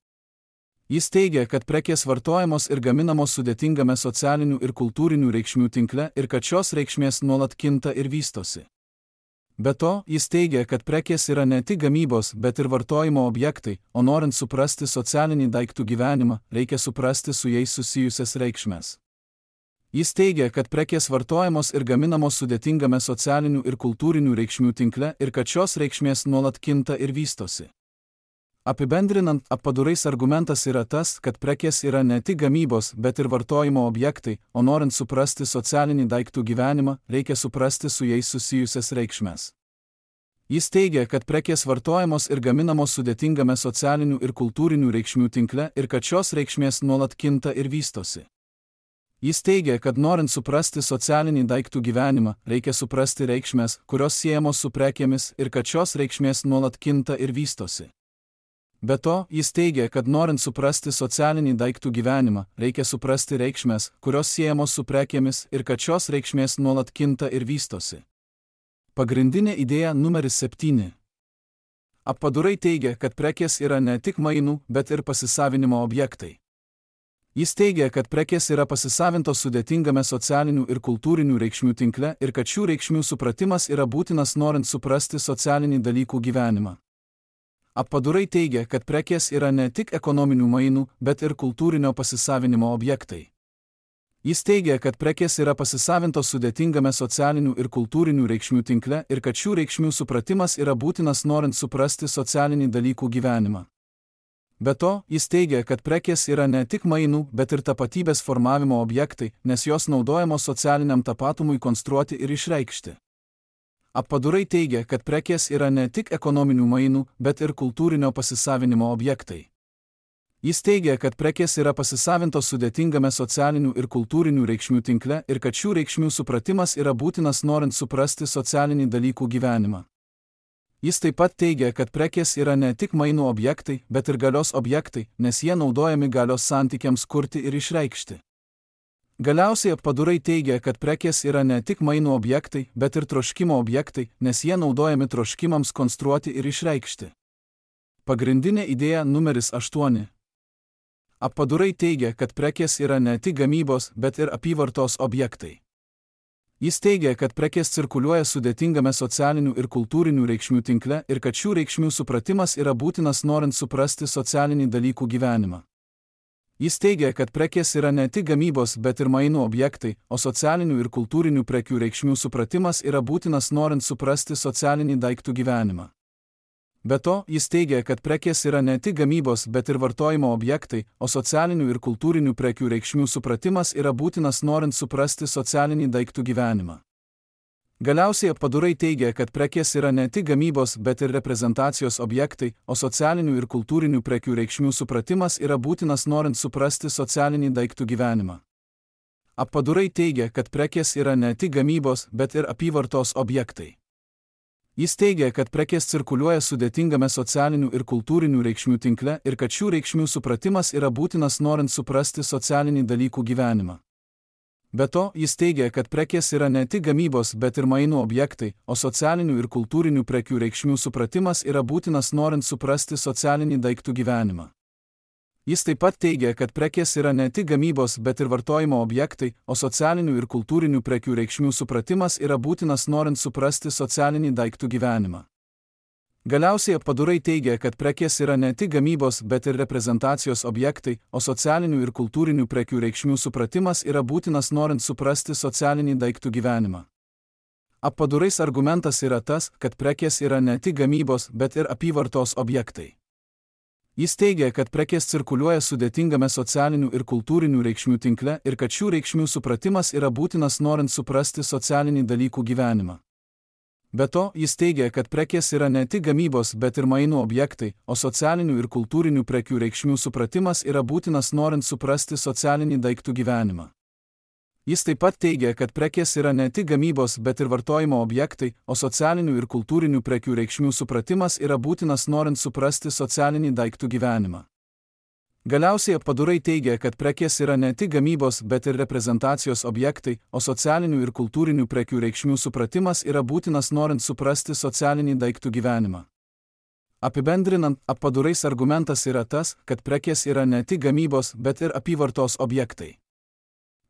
Jis teigia, kad prekės vartojamos ir gaminamos sudėtingame socialinių ir kultūrinių reikšmių tinkle ir kad šios reikšmės nuolat kinta ir vystosi. Be to, jis teigia, kad prekės yra ne tik gamybos, bet ir vartojimo objektai, o norint suprasti socialinį daiktų gyvenimą, reikia suprasti su jais susijusias reikšmes. Jis teigia, kad prekės vartojamos ir gaminamos sudėtingame socialinių ir kultūrinių reikšmių tinkle ir kad šios reikšmės nuolat kinta ir vystosi. Apibendrinant, apadurais argumentas yra tas, kad prekės yra ne tik gamybos, bet ir vartojimo objektai, o norint suprasti socialinį daiktų gyvenimą, reikia suprasti su jais susijusias reikšmes. Jis teigia, kad prekės vartojamos ir gaminamos sudėtingame socialinių ir kultūrinių reikšmių tinkle ir kad šios reikšmės nuolat kinta ir vystosi. Jis teigia, kad norint suprasti socialinį daiktų gyvenimą, reikia suprasti reikšmes, kurios siejamos su prekėmis ir kad šios reikšmės nuolat kinta ir vystosi. Be to, jis teigia, kad norint suprasti socialinį daiktų gyvenimą, reikia suprasti reikšmes, kurios siejamos su prekėmis ir kad šios reikšmės nuolat kinta ir vystosi. Pagrindinė idėja numeris 7. Apadurai teigia, kad prekės yra ne tik mainų, bet ir pasisavinimo objektai. Jis teigia, kad prekės yra pasisavintos sudėtingame socialinių ir kultūrinių reikšmių tinkle ir kad šių reikšmių supratimas yra būtinas norint suprasti socialinį dalykų gyvenimą. Apadurai teigia, kad prekės yra ne tik ekonominių mainų, bet ir kultūrinio pasisavinimo objektai. Jis teigia, kad prekės yra pasisavintos sudėtingame socialinių ir kultūrinių reikšmių tinkle ir kad šių reikšmių supratimas yra būtinas norint suprasti socialinį dalykų gyvenimą. Be to, jis teigia, kad prekės yra ne tik mainų, bet ir tapatybės formavimo objektai, nes jos naudojamos socialiniam tapatumui konstruoti ir išreikšti. Apadurai teigia, kad prekės yra ne tik ekonominių mainų, bet ir kultūrinio pasisavinimo objektai. Jis teigia, kad prekės yra pasisavintos sudėtingame socialinių ir kultūrinių reikšmių tinkle ir kad šių reikšmių supratimas yra būtinas norint suprasti socialinį dalykų gyvenimą. Jis taip pat teigia, kad prekės yra ne tik mainų objektai, bet ir galios objektai, nes jie naudojami galios santykiams kurti ir išreikšti. Galiausiai apadurai teigia, kad prekės yra ne tik mainų objektai, bet ir troškimo objektai, nes jie naudojami troškimams konstruoti ir išreikšti. Pagrindinė idėja numeris 8. Apadurai teigia, kad prekės yra ne tik gamybos, bet ir apyvartos objektai. Jis teigia, kad prekės cirkuliuoja sudėtingame socialinių ir kultūrinių reikšmių tinkle ir kad šių reikšmių supratimas yra būtinas norint suprasti socialinį dalykų gyvenimą. Jis teigia, kad prekės yra ne tik gamybos, bet ir mainų objektai, o socialinių ir kultūrinių prekių reikšmių supratimas yra būtinas norint suprasti socialinį daiktų gyvenimą. Be to, jis teigia, kad prekės yra ne tik gamybos, bet ir vartojimo objektai, o socialinių ir kultūrinių prekių reikšmių supratimas yra būtinas norint suprasti socialinį daiktų gyvenimą. Galiausiai Appadurai teigia, kad prekės yra ne tik gamybos, bet ir reprezentacijos objektai, o socialinių ir kultūrinių prekių reikšmių supratimas yra būtinas norint suprasti socialinį daiktų gyvenimą. Appadurai teigia, kad prekės yra ne tik gamybos, bet ir apyvartos objektai. Jis teigia, kad prekės cirkuliuoja sudėtingame socialinių ir kultūrinių reikšmių tinkle ir kad šių reikšmių supratimas yra būtinas norint suprasti socialinį dalykų gyvenimą. Be to, jis teigia, kad prekės yra ne tik gamybos, bet ir mainų objektai, o socialinių ir kultūrinių prekių reikšmių supratimas yra būtinas norint suprasti socialinį daiktų gyvenimą. Jis taip pat teigia, kad prekės yra ne tik gamybos, bet ir vartojimo objektai, o socialinių ir kultūrinių prekių reikšmių supratimas yra būtinas norint suprasti socialinį daiktų gyvenimą. Galiausiai Appadurai teigia, kad prekės yra ne tik gamybos, bet ir reprezentacijos objektai, o socialinių ir kultūrinių prekių reikšmių supratimas yra būtinas norint suprasti socialinį daiktų gyvenimą. Appadurais argumentas yra tas, kad prekės yra ne tik gamybos, bet ir apyvartos objektai. Jis teigia, kad prekės cirkuliuoja sudėtingame socialinių ir kultūrinių reikšmių tinkle ir kad šių reikšmių supratimas yra būtinas norint suprasti socialinį dalykų gyvenimą. Be to, jis teigia, kad prekės yra ne tik gamybos, bet ir mainų objektai, o socialinių ir kultūrinių prekių reikšmių supratimas yra būtinas norint suprasti socialinį daiktų gyvenimą. Jis taip pat teigia, kad prekės yra ne tik gamybos, bet ir vartojimo objektai, o socialinių ir kultūrinių prekių reikšmių supratimas yra būtinas norint suprasti socialinį daiktų gyvenimą. Galiausiai Appadurai teigia, kad prekės yra ne tik gamybos, bet ir reprezentacijos objektai, o socialinių ir kultūrinių prekių reikšmių supratimas yra būtinas norint suprasti socialinį daiktų gyvenimą. Apibendrinant, Appadurais argumentas yra tas, kad prekės yra ne tik gamybos, bet ir apyvartos objektai.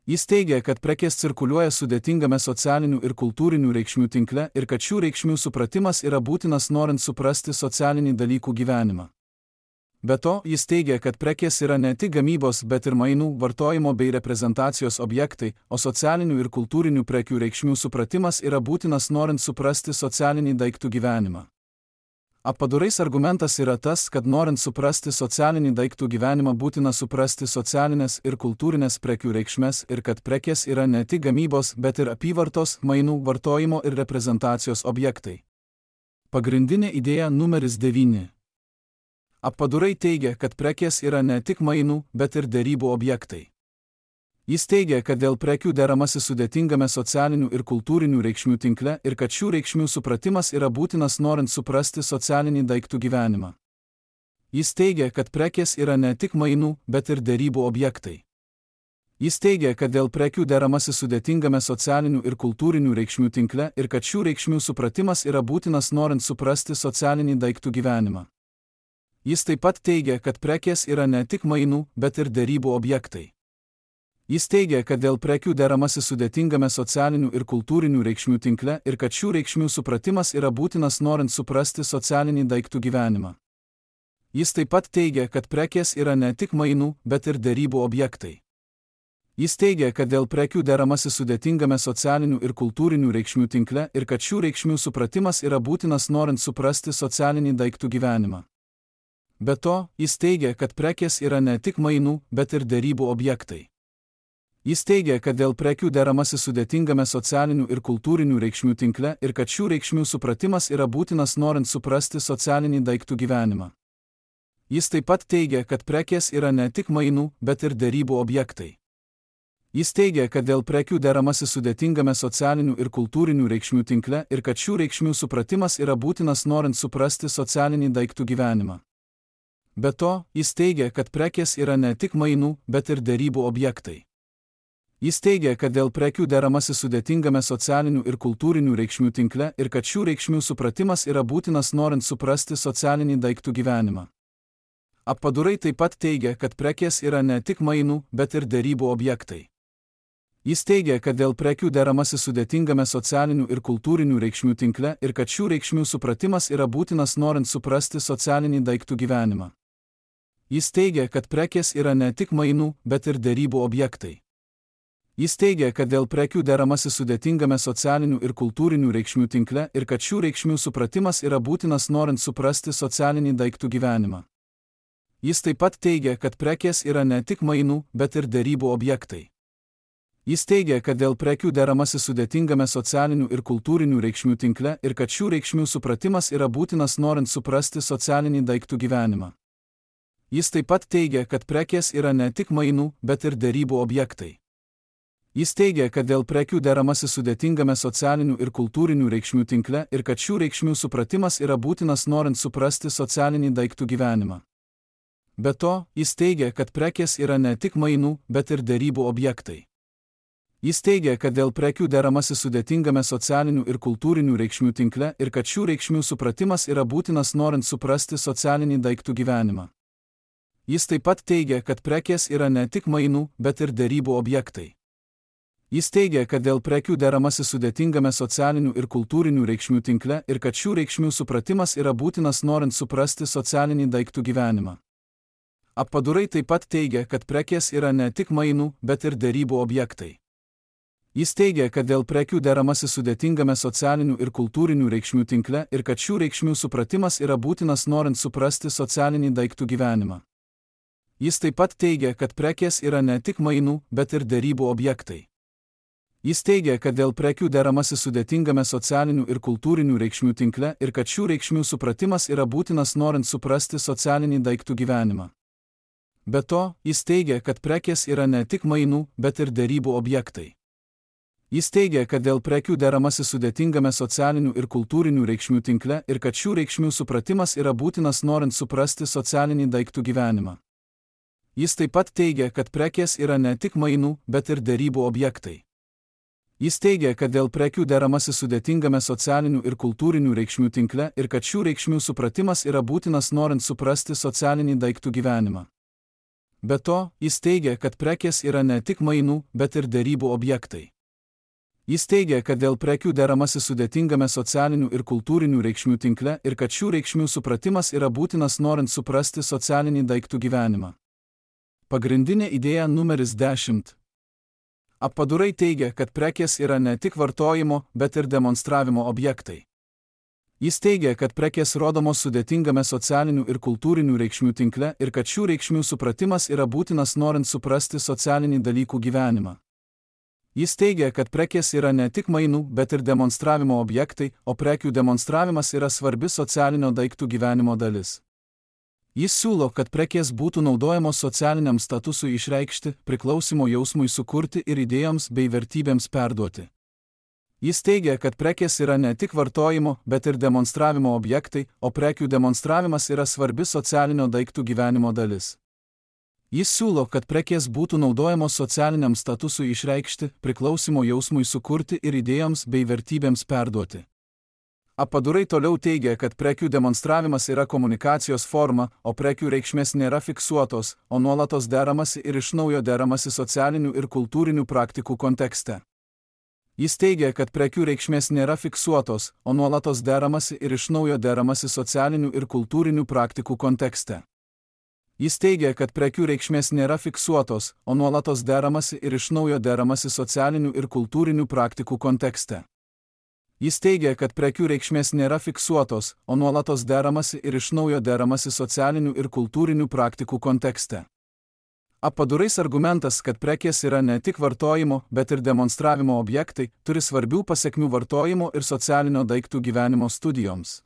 Jis teigia, kad prekės cirkuliuoja sudėtingame socialinių ir kultūrinių reikšmių tinkle ir kad šių reikšmių supratimas yra būtinas norint suprasti socialinį dalykų gyvenimą. Be to, jis teigia, kad prekės yra ne tik gamybos, bet ir mainų, vartojimo bei reprezentacijos objektai, o socialinių ir kultūrinių prekių reikšmių supratimas yra būtinas norint suprasti socialinį daiktų gyvenimą. Appadurais argumentas yra tas, kad norint suprasti socialinį daiktų gyvenimą būtina suprasti socialinės ir kultūrinės prekių reikšmes ir kad prekės yra ne tik gamybos, bet ir apyvartos, mainų, vartojimo ir reprezentacijos objektai. Pagrindinė idėja numeris 9. Appadurai teigia, kad prekės yra ne tik mainų, bet ir derybų objektai. Jis teigia, kad dėl prekių deramasi sudėtingame socialinių ir kultūrinių reikšmių tinkle ir kad šių reikšmių supratimas yra būtinas norint suprasti socialinį daiktų gyvenimą. Jis teigia, kad prekės yra ne tik mainų, bet ir derybų objektai. Jis teigia, kad dėl prekių deramasi sudėtingame socialinių ir kultūrinių reikšmių tinkle ir kad šių reikšmių supratimas yra būtinas norint suprasti socialinį daiktų gyvenimą. Jis taip pat teigia, kad prekės yra ne tik mainų, bet ir derybų objektai. Jis teigia, kad dėl prekių deramasi sudėtingame socialinių ir kultūrinių reikšmių tinkle ir kad šių reikšmių supratimas yra būtinas norint suprasti socialinį daiktų gyvenimą. Jis taip pat teigia, kad prekės yra ne tik mainų, bet ir derybų objektai. Jis teigia, kad dėl prekių deramasi sudėtingame socialinių ir kultūrinių reikšmių tinkle ir kad šių reikšmių supratimas yra būtinas norint suprasti socialinį daiktų gyvenimą. Be to, jis teigia, kad prekės yra ne tik mainų, bet ir derybų objektai. Jis teigia, kad dėl prekių deramasi sudėtingame socialinių ir kultūrinių reikšmių tinkle ir kad šių reikšmių supratimas yra būtinas norint suprasti socialinį daiktų gyvenimą. Jis taip pat teigia, kad prekės yra ne tik mainų, bet ir derybų objektai. Jis teigia, kad dėl prekių deramasi sudėtingame socialinių ir kultūrinių reikšmių tinkle ir kad šių reikšmių supratimas yra būtinas norint suprasti socialinį daiktų gyvenimą. Be to, jis teigia, kad prekės yra ne tik mainų, bet ir derybų objektai. Jis teigia, kad dėl prekių deramasi sudėtingame socialinių ir kultūrinių reikšmių tinkle ir kad šių reikšmių supratimas yra būtinas norint suprasti socialinį daiktų gyvenimą. Appadurai taip pat teigia, kad prekės yra ne tik mainų, bet ir derybų objektai. Jis teigia, kad dėl prekių deramasi sudėtingame socialinių ir kultūrinių reikšmių tinkle ir kad šių reikšmių supratimas yra būtinas norint suprasti socialinį daiktų gyvenimą. Jis teigia, kad prekės yra ne tik mainų, bet ir derybų objektai. Jis teigia, kad dėl prekių deramasi sudėtingame socialinių ir kultūrinių reikšmių tinkle ir kad šių reikšmių supratimas yra būtinas norint suprasti socialinį daiktų gyvenimą. Jis taip pat teigia, kad prekės yra ne tik mainų, bet ir derybų objektai. Jis teigia, kad dėl prekių deramasi sudėtingame socialinių ir kultūrinių reikšmių tinkle ir kad šių reikšmių supratimas yra būtinas norint suprasti socialinį daiktų gyvenimą. Jis taip pat teigia, kad prekės yra ne tik mainų, bet ir derybų objektai. Jis teigia, kad dėl prekių deramasi sudėtingame socialinių ir kultūrinių reikšmių tinkle ir kad šių reikšmių supratimas yra būtinas norint suprasti socialinį daiktų gyvenimą. Be to, jis teigia, kad prekės yra ne tik mainų, bet ir derybų objektai. Jis teigia, kad dėl prekių deramasi sudėtingame socialinių ir kultūrinių reikšmių tinkle ir kad šių reikšmių supratimas yra būtinas norint suprasti socialinį daiktų gyvenimą. Jis taip pat teigia, kad prekės yra ne tik mainų, bet ir derybų objektai. Jis teigia, kad dėl prekių deramasi sudėtingame socialinių ir kultūrinių reikšmių tinkle ir kad šių reikšmių supratimas yra būtinas norint suprasti socialinį daiktų gyvenimą. Apadurai taip pat teigia, kad prekės yra ne tik mainų, bet ir derybų objektai. Jis teigia, kad dėl prekių deramasi sudėtingame socialinių ir kultūrinių reikšmių tinkle ir kad šių reikšmių supratimas yra būtinas norint suprasti socialinį daiktų gyvenimą. Jis taip pat teigia, kad prekės yra ne tik mainų, bet ir derybų objektai. Jis teigia, kad dėl prekių deramasi sudėtingame socialinių ir kultūrinių reikšmių tinkle ir kad šių reikšmių supratimas yra būtinas norint suprasti socialinį daiktų gyvenimą. Be to, jis teigia, kad prekės yra ne tik mainų, bet ir derybų objektai. Jis teigia, kad dėl prekių deramasi sudėtingame socialinių ir kultūrinių reikšmių tinkle ir kad šių reikšmių supratimas yra būtinas norint suprasti socialinį daiktų gyvenimą. Jis taip pat teigia, kad prekės yra ne tik mainų, bet ir derybų objektai. Jis teigia, kad dėl prekių deramasi sudėtingame socialinių ir kultūrinių reikšmių tinkle ir kad šių reikšmių supratimas yra būtinas norint suprasti socialinį daiktų gyvenimą. Be to, jis teigia, kad prekės yra ne tik mainų, bet ir derybų objektai. Jis teigia, kad dėl prekių deramasi sudėtingame socialinių ir kultūrinių reikšmių tinkle ir kad šių reikšmių supratimas yra būtinas norint suprasti socialinį daiktų gyvenimą. Pagrindinė idėja numeris 10. Apadurai teigia, kad prekės yra ne tik vartojimo, bet ir demonstravimo objektai. Jis teigia, kad prekės rodomos sudėtingame socialinių ir kultūrinių reikšmių tinkle ir kad šių reikšmių supratimas yra būtinas norint suprasti socialinį dalykų gyvenimą. Jis teigia, kad prekės yra ne tik mainų, bet ir demonstravimo objektai, o prekių demonstravimas yra svarbi socialinio daiktų gyvenimo dalis. Jis siūlo, kad prekės būtų naudojamos socialiniam statusui išreikšti, priklausimo jausmui sukurti ir idėjoms bei vertybėms perduoti. Jis teigia, kad prekės yra ne tik vartojimo, bet ir demonstravimo objektai, o prekių demonstravimas yra svarbi socialinio daiktų gyvenimo dalis. Jis siūlo, kad prekės būtų naudojamos socialiniam statusui išreikšti, priklausimo jausmui sukurti ir idėjoms bei vertybėms perduoti. Apadurai toliau teigia, kad prekių demonstravimas yra komunikacijos forma, o prekių reikšmės nėra fiksuotos, o nuolatos deramasi ir iš naujo deramasi socialinių ir kultūrinių praktikų kontekste. Jis teigia, kad prekių reikšmės nėra fiksuotos, o nuolatos deramasi ir iš naujo deramasi socialinių ir kultūrinių praktikų kontekste. Jis teigia, kad prekių reikšmės nėra fiksuotos, o nuolatos deramasi ir iš naujo deramasi socialinių ir kultūrinių praktikų kontekste. Jis teigia, kad prekių reikšmės nėra fiksuotos, o nuolatos deramasi ir iš naujo deramasi socialinių ir kultūrinių praktikų kontekste. Apadurais argumentas, kad prekės yra ne tik vartojimo, bet ir demonstravimo objektai, turi svarbių pasekmių vartojimo ir socialinio daiktų gyvenimo studijoms.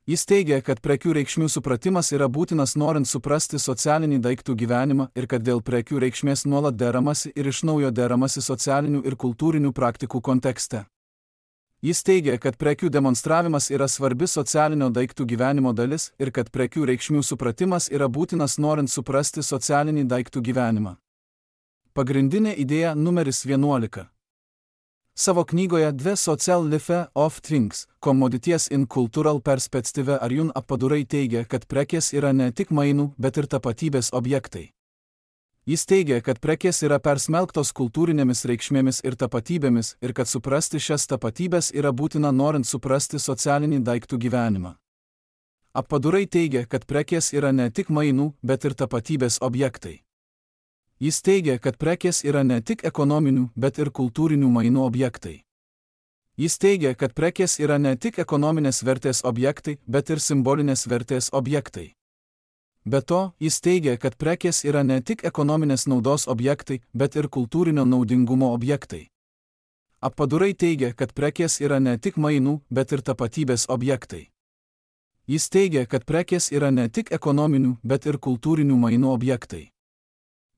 Jis teigia, kad prekių reikšmių supratimas yra būtinas norint suprasti socialinį daiktų gyvenimą ir kad dėl prekių reikšmės nuolat deramasi ir iš naujo deramasi socialinių ir kultūrinių praktikų kontekste. Jis teigia, kad prekių demonstravimas yra svarbi socialinio daiktų gyvenimo dalis ir kad prekių reikšmių supratimas yra būtinas norint suprasti socialinį daiktų gyvenimą. Pagrindinė idėja numeris 11. Savo knygoje The Social Life of Things, Commodities in Cultural Perspective Arjun Apadurai teigia, kad prekės yra ne tik mainų, bet ir tapatybės objektai. Jis teigia, kad prekės yra persmelktos kultūrinėmis reikšmėmis ir tapatybėmis ir kad suprasti šias tapatybės yra būtina norint suprasti socialinį daiktų gyvenimą. Apadurai teigia, kad prekės yra ne tik mainų, bet ir tapatybės objektai. Jis teigia, kad prekės yra ne tik ekonominių, bet ir kultūrinių mainų objektai. Jis teigia, kad prekės yra ne tik ekonominės vertės objektai, bet ir simbolinės vertės objektai. Be to, jis teigia, kad prekės yra ne tik ekonominės naudos objektai, bet ir kultūrinio naudingumo objektai. Appadurai teigia, kad prekės yra ne tik mainų, bet ir tapatybės objektai. Jis teigia, kad prekės yra ne tik ekonominių, bet ir kultūrinių mainų objektai.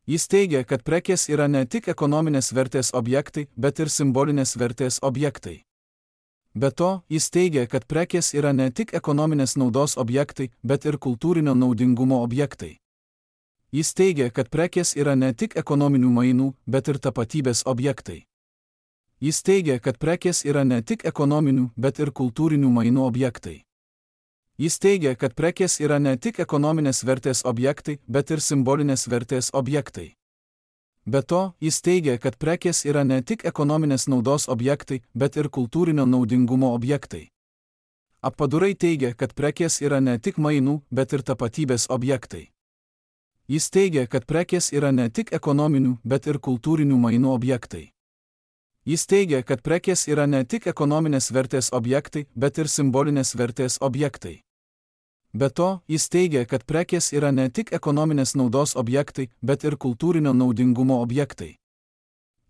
Jis teigia, kad prekės yra ne tik ekonominės vertės objektai, bet ir simbolinės vertės objektai. Be to, jis teigia, kad prekės yra ne tik ekonominės naudos objektai, bet ir kultūrinio naudingumo objektai. Jis teigia, kad prekės yra ne tik ekonominių mainų, bet ir tapatybės objektai. Jis teigia, kad prekės yra ne tik ekonominių, bet ir kultūrinių mainų objektai. Jis teigia, kad prekės yra ne tik ekonominės vertės objektai, bet ir simbolinės vertės objektai. Be to, jis teigia, kad prekės yra ne tik ekonominės naudos objektai, bet ir kultūrinio naudingumo objektai. Appadurai teigia, kad prekės yra ne tik mainų, bet ir tapatybės objektai. Jis teigia, kad prekės yra ne tik ekonominių, bet ir kultūrinių mainų objektai. Jis teigia, kad prekės yra ne tik ekonominės vertės objektai, bet ir simbolinės vertės objektai. Be to, jis teigia, kad prekės yra ne tik ekonominės naudos objektai, bet ir kultūrinio naudingumo objektai.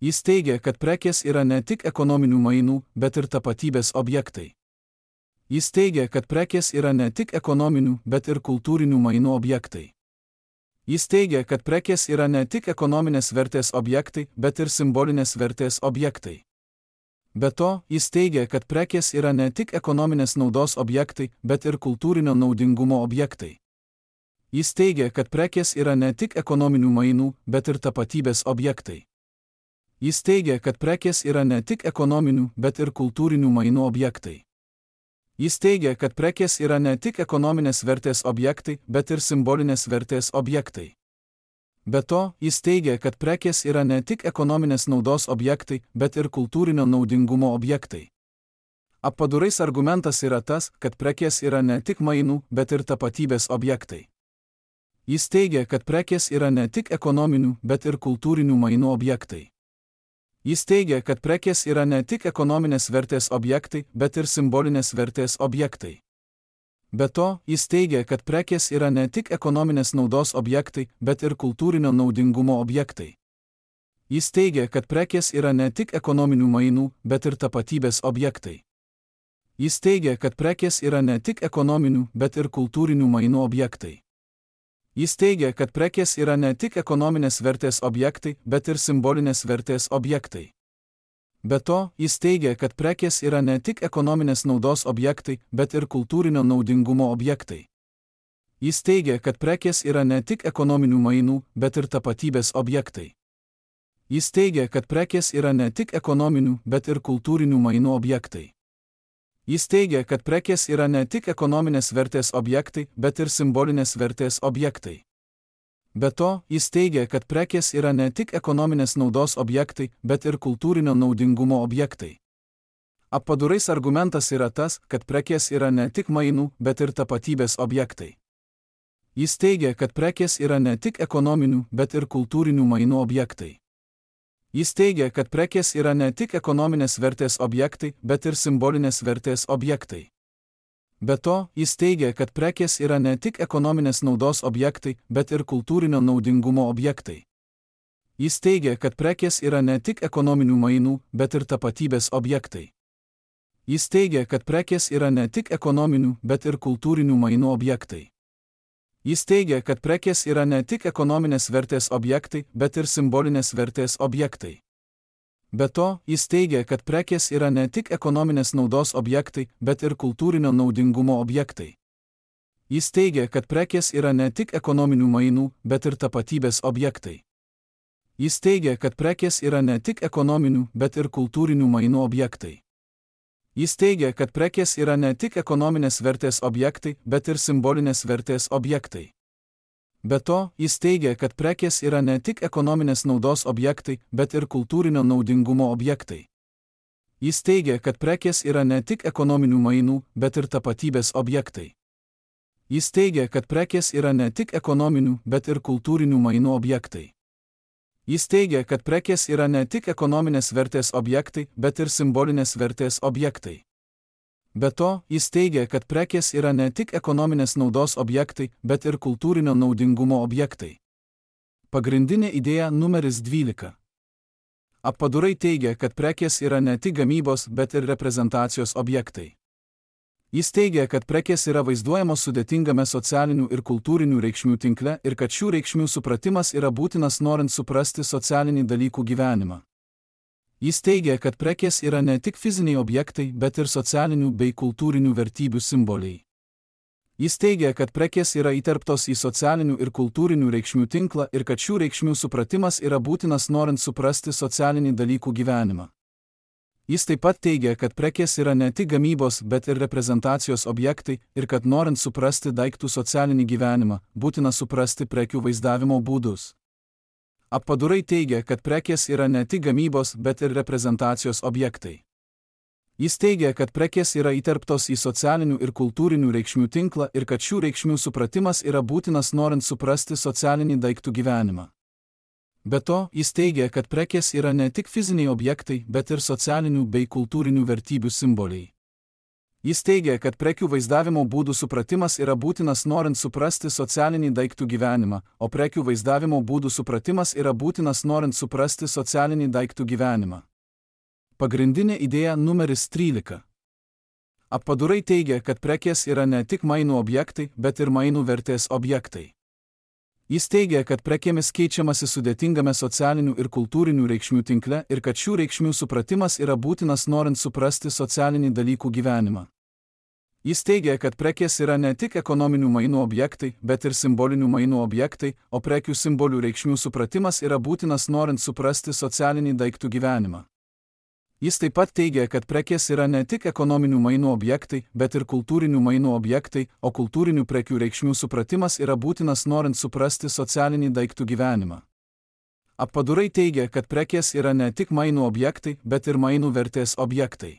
Jis teigia, kad prekės yra ne tik ekonominių mainų, bet ir tapatybės objektai. Jis teigia, kad prekės yra ne tik ekonominių, bet ir kultūrinių mainų objektai. Jis teigia, kad prekės yra ne tik ekonominės vertės objektai, bet ir simbolinės vertės objektai. Be to, jis teigia, kad prekės yra ne tik ekonominės naudos objektai, bet ir kultūrinio naudingumo objektai. Jis teigia, kad prekės yra ne tik ekonominių mainų, bet ir tapatybės objektai. Jis teigia, kad prekės yra ne tik ekonominių, bet ir kultūrinių mainų objektai. Jis teigia, kad prekės yra ne tik ekonominės vertės objektai, bet ir simbolinės vertės objektai. Be to, jis teigia, kad prekės yra ne tik ekonominės naudos objektai, bet ir kultūrinio naudingumo objektai. Appadurais argumentas yra tas, kad prekės yra ne tik mainų, bet ir tapatybės objektai. Jis teigia, kad prekės yra ne tik ekonominių, bet ir kultūrinių mainų objektai. Jis teigia, kad prekės yra ne tik ekonominės vertės objektai, bet ir simbolinės vertės objektai. Be to, jis teigia, kad prekės yra ne tik ekonominės naudos objektai, bet ir kultūrinio naudingumo objektai. Jis teigia, kad prekės yra ne tik ekonominių mainų, bet ir tapatybės objektai. Jis teigia, kad prekės yra ne tik ekonominių, bet ir kultūrinių mainų objektai. Jis teigia, kad prekės yra ne tik ekonominės vertės objektai, bet ir simbolinės vertės objektai. Be to, jis teigia, kad prekės yra ne tik ekonominės naudos objektai, bet ir kultūrinio naudingumo objektai. Jis teigia, kad prekės yra ne tik ekonominių mainų, bet ir tapatybės objektai. Jis teigia, kad prekės yra ne tik ekonominių, bet ir kultūrinių mainų objektai. Jis teigia, kad prekės yra ne tik ekonominės vertės objektai, bet ir simbolinės vertės objektai. Be to, jis teigia, kad prekės yra ne tik ekonominės naudos objektai, bet ir kultūrinio naudingumo objektai. Appadurais argumentas yra tas, kad prekės yra ne tik mainų, bet ir tapatybės objektai. Jis teigia, kad prekės yra ne tik ekonominių, bet ir kultūrinių mainų objektai. Jis teigia, kad prekės yra ne tik ekonominės vertės objektai, bet ir simbolinės vertės objektai. Be to, jis teigia, kad prekės yra ne tik ekonominės naudos objektai, bet ir kultūrinio naudingumo objektai. Jis teigia, kad prekės yra ne tik ekonominių mainų, bet ir tapatybės objektai. Jis teigia, kad prekės yra ne tik ekonominių, bet ir kultūrinių mainų objektai. Jis teigia, kad prekės yra ne tik ekonominės vertės objektai, bet ir simbolinės vertės objektai. Be to, jis teigia, kad prekės yra ne tik ekonominės naudos objektai, bet ir kultūrinio naudingumo objektai. Jis teigia, kad prekės yra ne tik ekonominių mainų, bet ir tapatybės objektai. Jis teigia, kad prekės yra ne tik ekonominių, bet ir kultūrinių mainų objektai. Jis teigia, kad prekės yra ne tik ekonominės vertės objektai, bet ir simbolinės vertės objektai. Be to, jis teigia, kad prekės yra ne tik ekonominės naudos objektai, bet ir kultūrinio naudingumo objektai. Jis teigia, kad prekės yra ne tik ekonominių mainų, bet ir tapatybės objektai. Jis teigia, kad prekės yra ne tik ekonominių, bet ir kultūrinių mainų objektai. Jis teigia, kad prekės yra ne tik ekonominės vertės objektai, bet ir simbolinės vertės objektai. Be to, jis teigia, kad prekės yra ne tik ekonominės naudos objektai, bet ir kultūrinio naudingumo objektai. Pagrindinė idėja numeris 12. Appadurai teigia, kad prekės yra ne tik gamybos, bet ir reprezentacijos objektai. Jis teigia, kad prekės yra vaizduojamos sudėtingame socialinių ir kultūrinių reikšmių tinkle ir kad šių reikšmių supratimas yra būtinas norint suprasti socialinį dalykų gyvenimą. Jis teigia, kad prekės yra ne tik fiziniai objektai, bet ir socialinių bei kultūrinių vertybių simboliai. Jis teigia, kad prekės yra įterptos į socialinių ir kultūrinių reikšmių tinklą ir kad šių reikšmių supratimas yra būtinas norint suprasti socialinį dalykų gyvenimą. Jis taip pat teigia, kad prekės yra ne tik gamybos, bet ir reprezentacijos objektai ir kad norint suprasti daiktų socialinį gyvenimą, būtina suprasti prekių vaizdavimo būdus. Appadurai teigia, kad prekės yra ne tik gamybos, bet ir reprezentacijos objektai. Jis teigia, kad prekės yra įterptos į socialinių ir kultūrinių reikšmių tinklą ir kad šių reikšmių supratimas yra būtinas norint suprasti socialinį daiktų gyvenimą. Be to, jis teigia, kad prekės yra ne tik fiziniai objektai, bet ir socialinių bei kultūrinių vertybių simboliai. Jis teigia, kad prekių vaizdavimo būdų supratimas yra būtinas norint suprasti socialinį daiktų gyvenimą, o prekių vaizdavimo būdų supratimas yra būtinas norint suprasti socialinį daiktų gyvenimą. Pagrindinė idėja numeris 13. Appadurai teigia, kad prekės yra ne tik mainų objektai, bet ir mainų vertės objektai. Jis teigia, kad prekėmis keičiamasi sudėtingame socialinių ir kultūrinių reikšmių tinkle ir kad šių reikšmių supratimas yra būtinas norint suprasti socialinį dalykų gyvenimą. Jis teigia, kad prekės yra ne tik ekonominių mainų objektai, bet ir simbolinių mainų objektai, o prekių simbolių reikšmių supratimas yra būtinas norint suprasti socialinį daiktų gyvenimą. Jis taip pat teigia, kad prekės yra ne tik ekonominių mainų objektai, bet ir kultūrinių mainų objektai, o kultūrinių prekių reikšmių supratimas yra būtinas norint suprasti socialinį daiktų gyvenimą. Appadurai teigia, kad prekės yra ne tik mainų objektai, bet ir mainų vertės objektai.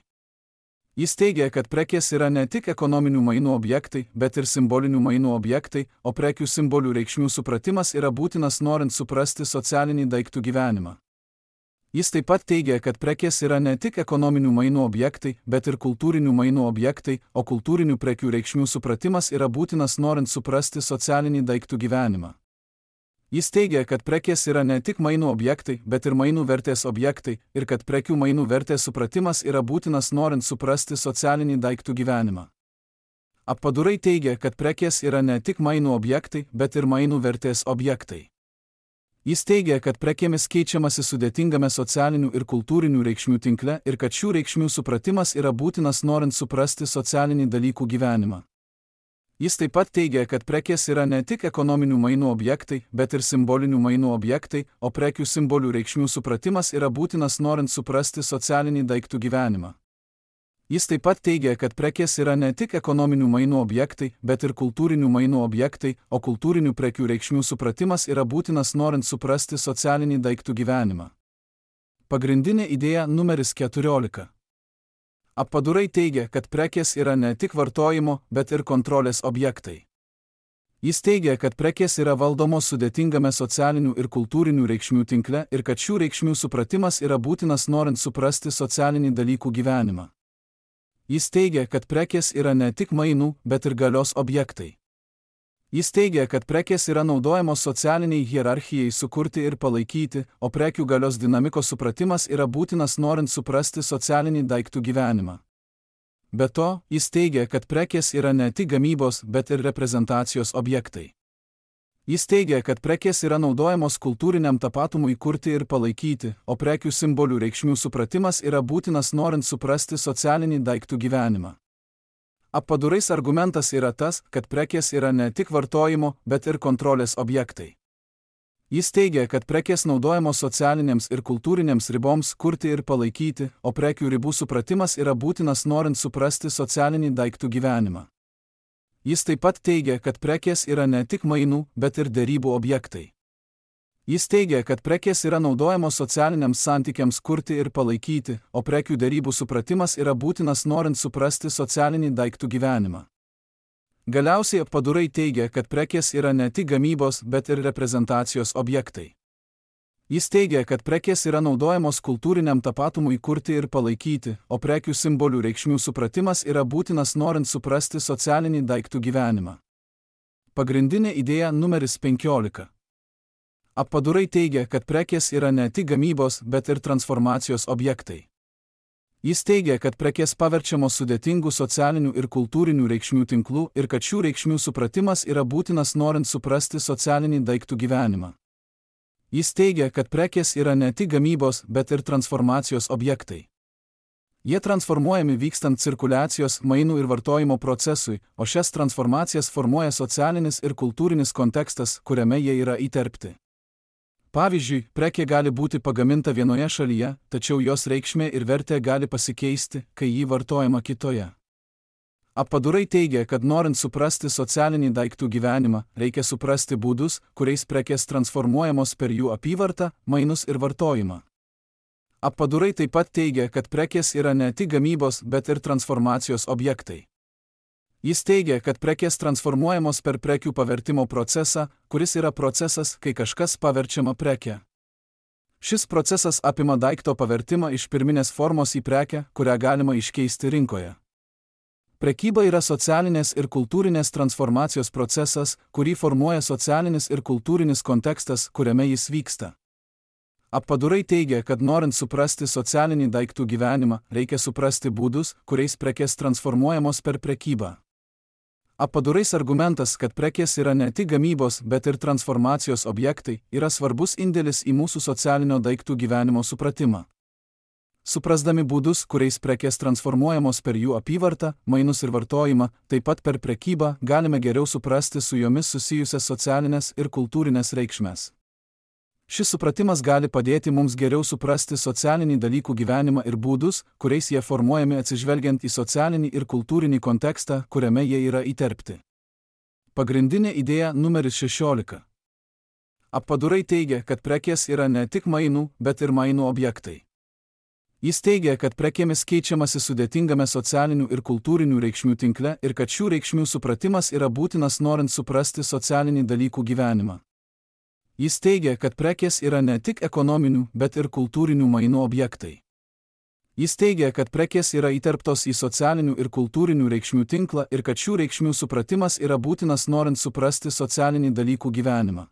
Jis teigia, kad prekės yra ne tik ekonominių mainų objektai, bet ir simbolinių mainų objektai, o prekių simbolių reikšmių supratimas yra būtinas norint suprasti socialinį daiktų gyvenimą. Jis taip pat teigia, kad prekės yra ne tik ekonominių mainų objektai, bet ir kultūrinių mainų objektai, o kultūrinių prekių reikšmių supratimas yra būtinas norint suprasti socialinį daiktų gyvenimą. Jis teigia, kad prekės yra ne tik mainų objektai, bet ir mainų vertės objektai ir kad prekių mainų vertės supratimas yra būtinas norint suprasti socialinį daiktų gyvenimą. Appadurai teigia, kad prekės yra ne tik mainų objektai, bet ir mainų vertės objektai. Jis teigia, kad prekėmis keičiamasi sudėtingame socialinių ir kultūrinių reikšmių tinkle ir kad šių reikšmių supratimas yra būtinas norint suprasti socialinį dalykų gyvenimą. Jis taip pat teigia, kad prekės yra ne tik ekonominių mainų objektai, bet ir simbolinių mainų objektai, o prekių simbolių reikšmių supratimas yra būtinas norint suprasti socialinį daiktų gyvenimą. Jis taip pat teigia, kad prekės yra ne tik ekonominių mainų objektai, bet ir kultūrinių mainų objektai, o kultūrinių prekių reikšmių supratimas yra būtinas norint suprasti socialinį daiktų gyvenimą. Pagrindinė idėja numeris 14. Appadurai teigia, kad prekės yra ne tik vartojimo, bet ir kontrolės objektai. Jis teigia, kad prekės yra valdomos sudėtingame socialinių ir kultūrinių reikšmių tinkle ir kad šių reikšmių supratimas yra būtinas norint suprasti socialinį dalykų gyvenimą. Jis teigia, kad prekės yra ne tik mainų, bet ir galios objektai. Jis teigia, kad prekės yra naudojamos socialiniai hierarchijai sukurti ir palaikyti, o prekių galios dinamikos supratimas yra būtinas norint suprasti socialinį daiktų gyvenimą. Be to, jis teigia, kad prekės yra ne tik gamybos, bet ir reprezentacijos objektai. Jis teigia, kad prekės yra naudojamos kultūriniam tapatumui kurti ir palaikyti, o prekių simbolių reikšmių supratimas yra būtinas norint suprasti socialinį daiktų gyvenimą. Appadurais argumentas yra tas, kad prekės yra ne tik vartojimo, bet ir kontrolės objektai. Jis teigia, kad prekės naudojamos socialinėms ir kultūrinėms riboms kurti ir palaikyti, o prekių ribų supratimas yra būtinas norint suprasti socialinį daiktų gyvenimą. Jis taip pat teigia, kad prekės yra ne tik mainų, bet ir derybų objektai. Jis teigia, kad prekės yra naudojamos socialiniams santykiams kurti ir palaikyti, o prekių derybų supratimas yra būtinas norint suprasti socialinį daiktų gyvenimą. Galiausiai appadurai teigia, kad prekės yra ne tik gamybos, bet ir reprezentacijos objektai. Jis teigia, kad prekės yra naudojamos kultūriniam tapatumui kurti ir palaikyti, o prekių simbolių reikšmių supratimas yra būtinas norint suprasti socialinį daiktų gyvenimą. Pagrindinė idėja numeris 15. Appadurai teigia, kad prekės yra ne tik gamybos, bet ir transformacijos objektai. Jis teigia, kad prekės paverčiamos sudėtingų socialinių ir kultūrinių reikšmių tinklų ir kad šių reikšmių supratimas yra būtinas norint suprasti socialinį daiktų gyvenimą. Jis teigia, kad prekės yra ne tik gamybos, bet ir transformacijos objektai. Jie transformuojami vykstant cirkuliacijos, mainų ir vartojimo procesui, o šias transformacijas formuoja socialinis ir kultūrinis kontekstas, kuriame jie yra įterpti. Pavyzdžiui, prekė gali būti pagaminta vienoje šalyje, tačiau jos reikšmė ir vertė gali pasikeisti, kai ji vartojama kitoje. Appadurai teigia, kad norint suprasti socialinį daiktų gyvenimą, reikia suprasti būdus, kuriais prekės transformuojamos per jų apyvartą, mainus ir vartojimą. Appadurai taip pat teigia, kad prekės yra ne tik gamybos, bet ir transformacijos objektai. Jis teigia, kad prekės transformuojamos per prekių pavertimo procesą, kuris yra procesas, kai kažkas paverčiama preke. Šis procesas apima daikto pavertimą iš pirminės formos į prekę, kurią galima iškeisti rinkoje. Prekyba yra socialinės ir kultūrinės transformacijos procesas, kurį formuoja socialinis ir kultūrinis kontekstas, kuriame jis vyksta. Appadurai teigia, kad norint suprasti socialinį daiktų gyvenimą, reikia suprasti būdus, kuriais prekės transformuojamos per prekybą. Appadurais argumentas, kad prekės yra ne tik gamybos, bet ir transformacijos objektai, yra svarbus indėlis į mūsų socialinio daiktų gyvenimo supratimą. Suprasdami būdus, kuriais prekės transformuojamos per jų apyvartą, mainus ir vartojimą, taip pat per prekybą, galime geriau suprasti su jomis susijusias socialinės ir kultūrinės reikšmes. Šis supratimas gali padėti mums geriau suprasti socialinį dalykų gyvenimą ir būdus, kuriais jie formuojami atsižvelgiant į socialinį ir kultūrinį kontekstą, kuriame jie yra įterpti. Pagrindinė idėja numeris 16. Appadurai teigia, kad prekės yra ne tik mainų, bet ir mainų objektai. Jis teigia, kad prekėmis keičiamasi sudėtingame socialinių ir kultūrinių reikšmių tinkle ir kad šių reikšmių supratimas yra būtinas norint suprasti socialinį dalykų gyvenimą. Jis teigia, kad prekės yra ne tik ekonominių, bet ir kultūrinių mainų objektai. Jis teigia, kad prekės yra įterptos į socialinių ir kultūrinių reikšmių tinklą ir kad šių reikšmių supratimas yra būtinas norint suprasti socialinį dalykų gyvenimą.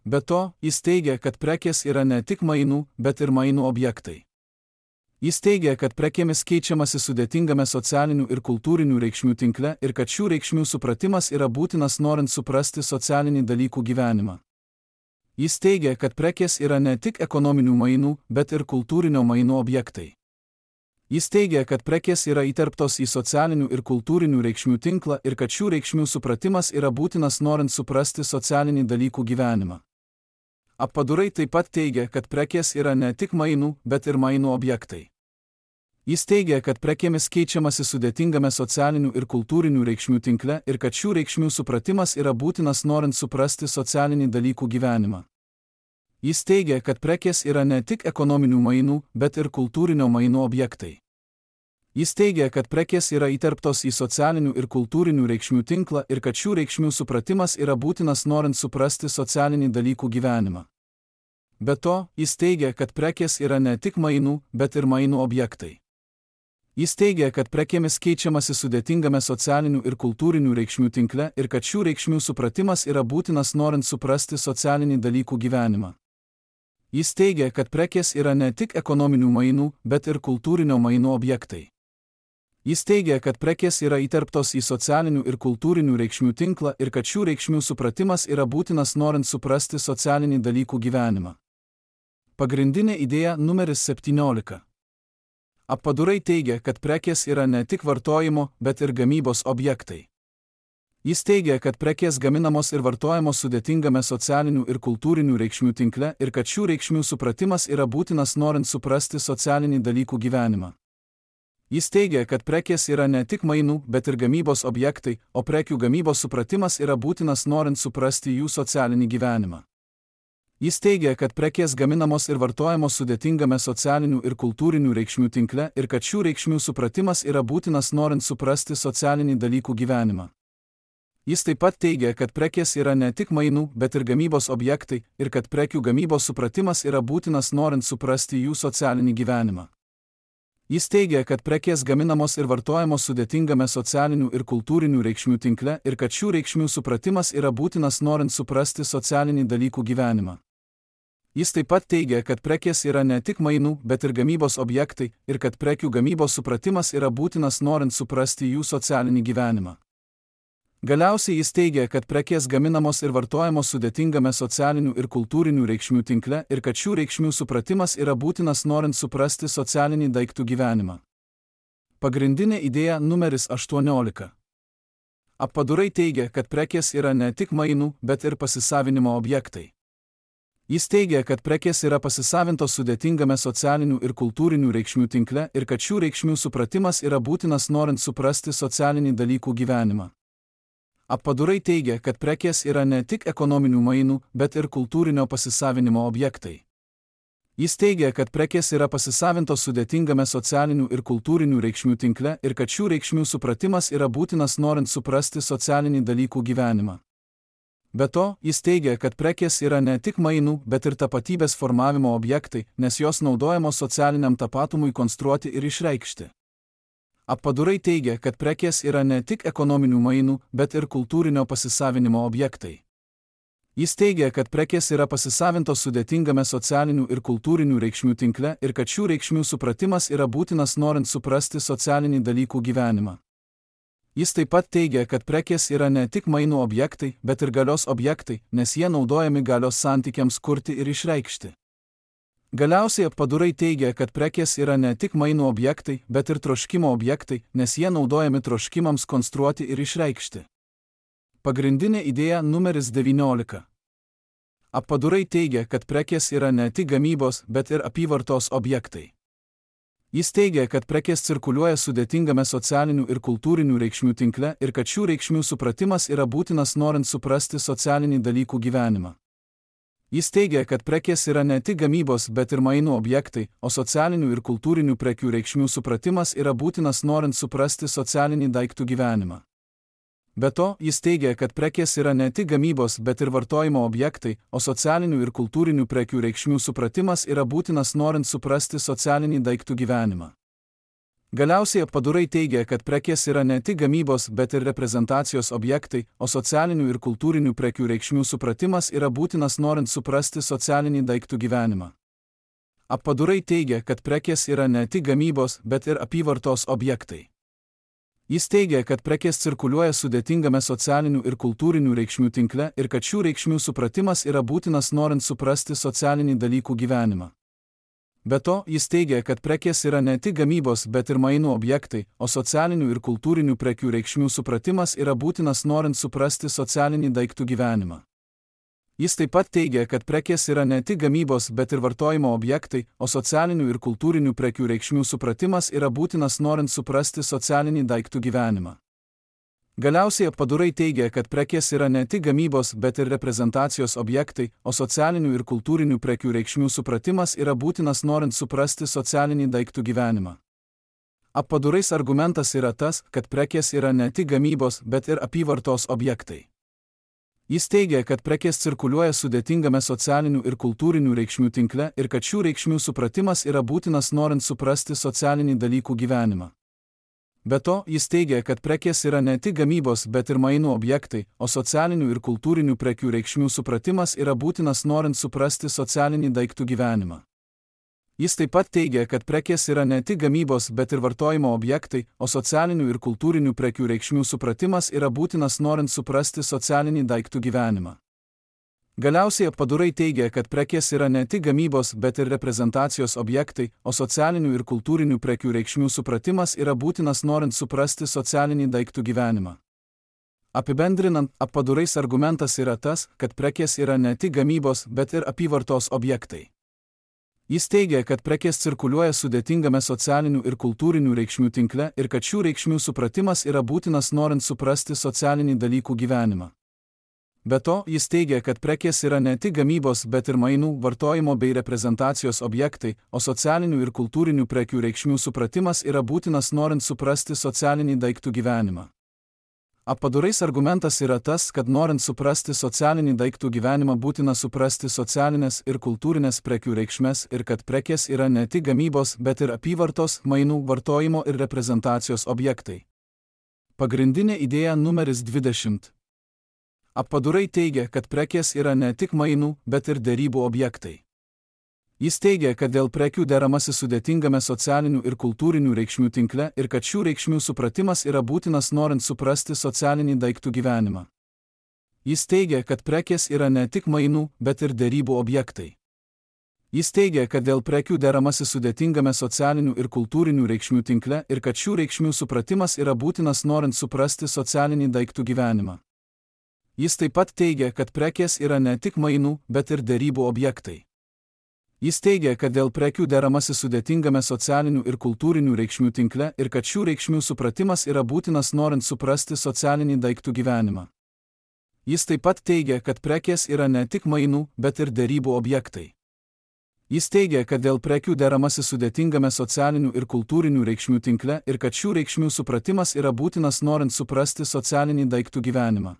Be to, jis teigia, kad prekės yra ne tik mainų, bet ir mainų objektai. Jis teigia, kad prekėmis keičiamasi sudėtingame socialinių ir kultūrinių reikšmių tinkle ir kad šių reikšmių supratimas yra būtinas norint suprasti socialinį dalykų gyvenimą. Jis teigia, kad prekės yra ne tik ekonominių mainų, bet ir kultūrinio mainų objektai. Jis teigia, kad prekės yra įterptos į socialinių ir kultūrinių reikšmių tinklą ir kad šių reikšmių supratimas yra būtinas norint suprasti socialinį dalykų gyvenimą. Appadurai taip pat teigia, kad prekės yra ne tik mainų, bet ir mainų objektai. Jis teigia, kad prekėmis keičiamasi sudėtingame socialinių ir kultūrinių reikšmių tinkle ir kad šių reikšmių supratimas yra būtinas norint suprasti socialinį dalykų gyvenimą. Jis teigia, kad prekės yra ne tik ekonominių mainų, bet ir kultūrinio mainų objektai. Jis teigia, kad prekės yra įterptos į socialinių ir kultūrinių reikšmių tinklą ir kad šių reikšmių supratimas yra būtinas norint suprasti socialinį dalykų gyvenimą. Be to, jis teigia, kad prekės yra ne tik mainų, bet ir mainų objektai. Jis teigia, kad prekėmis keičiamasi sudėtingame socialinių ir kultūrinių reikšmių tinkle ir kad šių reikšmių supratimas yra būtinas norint suprasti socialinį dalykų gyvenimą. Jis teigia, kad prekės yra ne tik ekonominių mainų, bet ir kultūrinio mainų objektai. Jis teigia, kad prekės yra įterptos į socialinių ir kultūrinių reikšmių tinklą ir kad šių reikšmių supratimas yra būtinas norint suprasti socialinį dalykų gyvenimą. Pagrindinė idėja numeris 17. Appadurai teigia, kad prekės yra ne tik vartojimo, bet ir gamybos objektai. Jis teigia, kad prekės gaminamos ir vartojamos sudėtingame socialinių ir kultūrinių reikšmių tinkle ir kad šių reikšmių supratimas yra būtinas norint suprasti socialinį dalykų gyvenimą. Jis teigia, kad prekės yra ne tik mainų, bet ir gamybos objektai, o prekių gamybos supratimas yra būtinas norint suprasti jų socialinį gyvenimą. Jis teigia, kad prekės gaminamos ir vartojamos sudėtingame socialinių ir kultūrinių reikšmių tinkle ir kad šių reikšmių supratimas yra būtinas norint suprasti socialinį dalykų gyvenimą. Jis taip pat teigia, kad prekės yra ne tik mainų, bet ir gamybos objektai ir kad prekių gamybos supratimas yra būtinas norint suprasti jų socialinį gyvenimą. Jis teigia, kad prekės gaminamos ir vartojamos sudėtingame socialinių ir kultūrinių reikšmių tinkle ir kad šių reikšmių supratimas yra būtinas norint suprasti socialinį dalykų gyvenimą. Jis taip pat teigia, kad prekės yra ne tik mainų, bet ir gamybos objektai ir kad prekių gamybos supratimas yra būtinas norint suprasti jų socialinį gyvenimą. Galiausiai jis teigia, kad prekės gaminamos ir vartojamos sudėtingame socialinių ir kultūrinių reikšmių tinkle ir kad šių reikšmių supratimas yra būtinas norint suprasti socialinį daiktų gyvenimą. Pagrindinė idėja numeris 18. Appadurai teigia, kad prekės yra ne tik mainų, bet ir pasisavinimo objektai. Jis teigia, kad prekės yra pasisavintos sudėtingame socialinių ir kultūrinių reikšmių tinkle ir kad šių reikšmių supratimas yra būtinas norint suprasti socialinį dalykų gyvenimą. Appadurai teigia, kad prekės yra ne tik ekonominių mainų, bet ir kultūrinio pasisavinimo objektai. Jis teigia, kad prekės yra pasisavintos sudėtingame socialinių ir kultūrinių reikšmių tinkle ir kad šių reikšmių supratimas yra būtinas norint suprasti socialinį dalykų gyvenimą. Be to, jis teigia, kad prekės yra ne tik mainų, bet ir tapatybės formavimo objektai, nes jos naudojamos socialiniam tapatumui konstruoti ir išreikšti. Appadurai teigia, kad prekės yra ne tik ekonominių mainų, bet ir kultūrinio pasisavinimo objektai. Jis teigia, kad prekės yra pasisavintos sudėtingame socialinių ir kultūrinių reikšmių tinkle ir kad šių reikšmių supratimas yra būtinas norint suprasti socialinį dalykų gyvenimą. Jis taip pat teigia, kad prekės yra ne tik mainų objektai, bet ir galios objektai, nes jie naudojami galios santykiams kurti ir išreikšti. Galiausiai appadurai teigia, kad prekės yra ne tik mainų objektai, bet ir troškimo objektai, nes jie naudojami troškimams konstruoti ir išreikšti. Pagrindinė idėja numeris 19. Appadurai teigia, kad prekės yra ne tik gamybos, bet ir apyvartos objektai. Jis teigia, kad prekės cirkuliuoja sudėtingame socialinių ir kultūrinių reikšmių tinkle ir kad šių reikšmių supratimas yra būtinas norint suprasti socialinį dalykų gyvenimą. Jis teigia, kad prekės yra ne tik gamybos, bet ir mainų objektai, o socialinių ir kultūrinių prekių reikšmių supratimas yra būtinas norint suprasti socialinį daiktų gyvenimą. Be to, jis teigia, kad prekės yra ne tik gamybos, bet ir vartojimo objektai, o socialinių ir kultūrinių prekių reikšmių supratimas yra būtinas norint suprasti socialinį daiktų gyvenimą. Galiausiai appadurai teigia, kad prekės yra ne tik gamybos, bet ir reprezentacijos objektai, o socialinių ir kultūrinių prekių reikšmių supratimas yra būtinas norint suprasti socialinį daiktų gyvenimą. Appadurai teigia, kad prekės yra ne tik gamybos, bet ir apyvartos objektai. Jis teigia, kad prekės cirkuliuoja sudėtingame socialinių ir kultūrinių reikšmių tinkle ir kad šių reikšmių supratimas yra būtinas norint suprasti socialinį dalykų gyvenimą. Be to, jis teigia, kad prekės yra ne tik gamybos, bet ir mainų objektai, o socialinių ir kultūrinių prekių reikšmių supratimas yra būtinas norint suprasti socialinį daiktų gyvenimą. Jis taip pat teigia, kad prekės yra ne tik gamybos, bet ir vartojimo objektai, o socialinių ir kultūrinių prekių reikšmių supratimas yra būtinas norint suprasti socialinį daiktų gyvenimą. Galiausiai appadurai teigia, kad prekės yra ne tik gamybos, bet ir reprezentacijos objektai, o socialinių ir kultūrinių prekių reikšmių supratimas yra būtinas norint suprasti socialinį daiktų gyvenimą. Appadurais argumentas yra tas, kad prekės yra ne tik gamybos, bet ir apyvartos objektai. Jis teigia, kad prekės cirkuliuoja sudėtingame socialinių ir kultūrinių reikšmių tinkle ir kad šių reikšmių supratimas yra būtinas norint suprasti socialinį dalykų gyvenimą. Be to, jis teigia, kad prekės yra ne tik gamybos, bet ir mainų objektai, o socialinių ir kultūrinių prekių reikšmių supratimas yra būtinas norint suprasti socialinį daiktų gyvenimą. Jis taip pat teigia, kad prekės yra ne tik gamybos, bet ir vartojimo objektai, o socialinių ir kultūrinių prekių reikšmių supratimas yra būtinas norint suprasti socialinį daiktų gyvenimą. Galiausiai appadurai teigia, kad prekės yra ne tik gamybos, bet ir reprezentacijos objektai, o socialinių ir kultūrinių prekių reikšmių supratimas yra būtinas norint suprasti socialinį daiktų gyvenimą. Apibendrinant, appadurais argumentas yra tas, kad prekės yra ne tik gamybos, bet ir apyvartos objektai. Jis teigia, kad prekės cirkuliuoja sudėtingame socialinių ir kultūrinių reikšmių tinkle ir kad šių reikšmių supratimas yra būtinas norint suprasti socialinį dalykų gyvenimą. Be to, jis teigia, kad prekės yra ne tik gamybos, bet ir mainų, vartojimo bei reprezentacijos objektai, o socialinių ir kultūrinių prekių reikšmių supratimas yra būtinas norint suprasti socialinį daiktų gyvenimą. Apdarais argumentas yra tas, kad norint suprasti socialinį daiktų gyvenimą būtina suprasti socialinės ir kultūrinės prekių reikšmes ir kad prekės yra ne tik gamybos, bet ir apyvartos, mainų, vartojimo ir reprezentacijos objektai. Pagrindinė idėja numeris 20. Apdarai teigia, kad prekės yra ne tik mainų, bet ir derybų objektai. Jis teigia, kad dėl prekių deramasi sudėtingame socialinių ir kultūrinių reikšmių tinkle ir kad šių reikšmių supratimas yra būtinas norint suprasti socialinį daiktų gyvenimą. Jis teigia, kad prekės yra ne tik mainų, bet ir derybų objektai. Jis teigia, kad dėl prekių deramasi sudėtingame socialinių ir kultūrinių reikšmių tinkle ir kad šių reikšmių supratimas yra būtinas norint suprasti socialinį daiktų gyvenimą. Jis taip pat teigia, kad prekės yra ne tik mainų, bet ir derybų objektai. Jis teigia, kad dėl prekių deramasi sudėtingame socialinių ir kultūrinių reikšmių tinkle ir kad šių reikšmių supratimas yra būtinas norint suprasti socialinį daiktų gyvenimą. Jis taip pat teigia, kad prekės yra ne tik mainų, bet ir derybų objektai. Jis teigia, kad dėl prekių deramasi sudėtingame socialinių ir kultūrinių reikšmių tinkle ir kad šių reikšmių supratimas yra būtinas norint suprasti socialinį daiktų gyvenimą.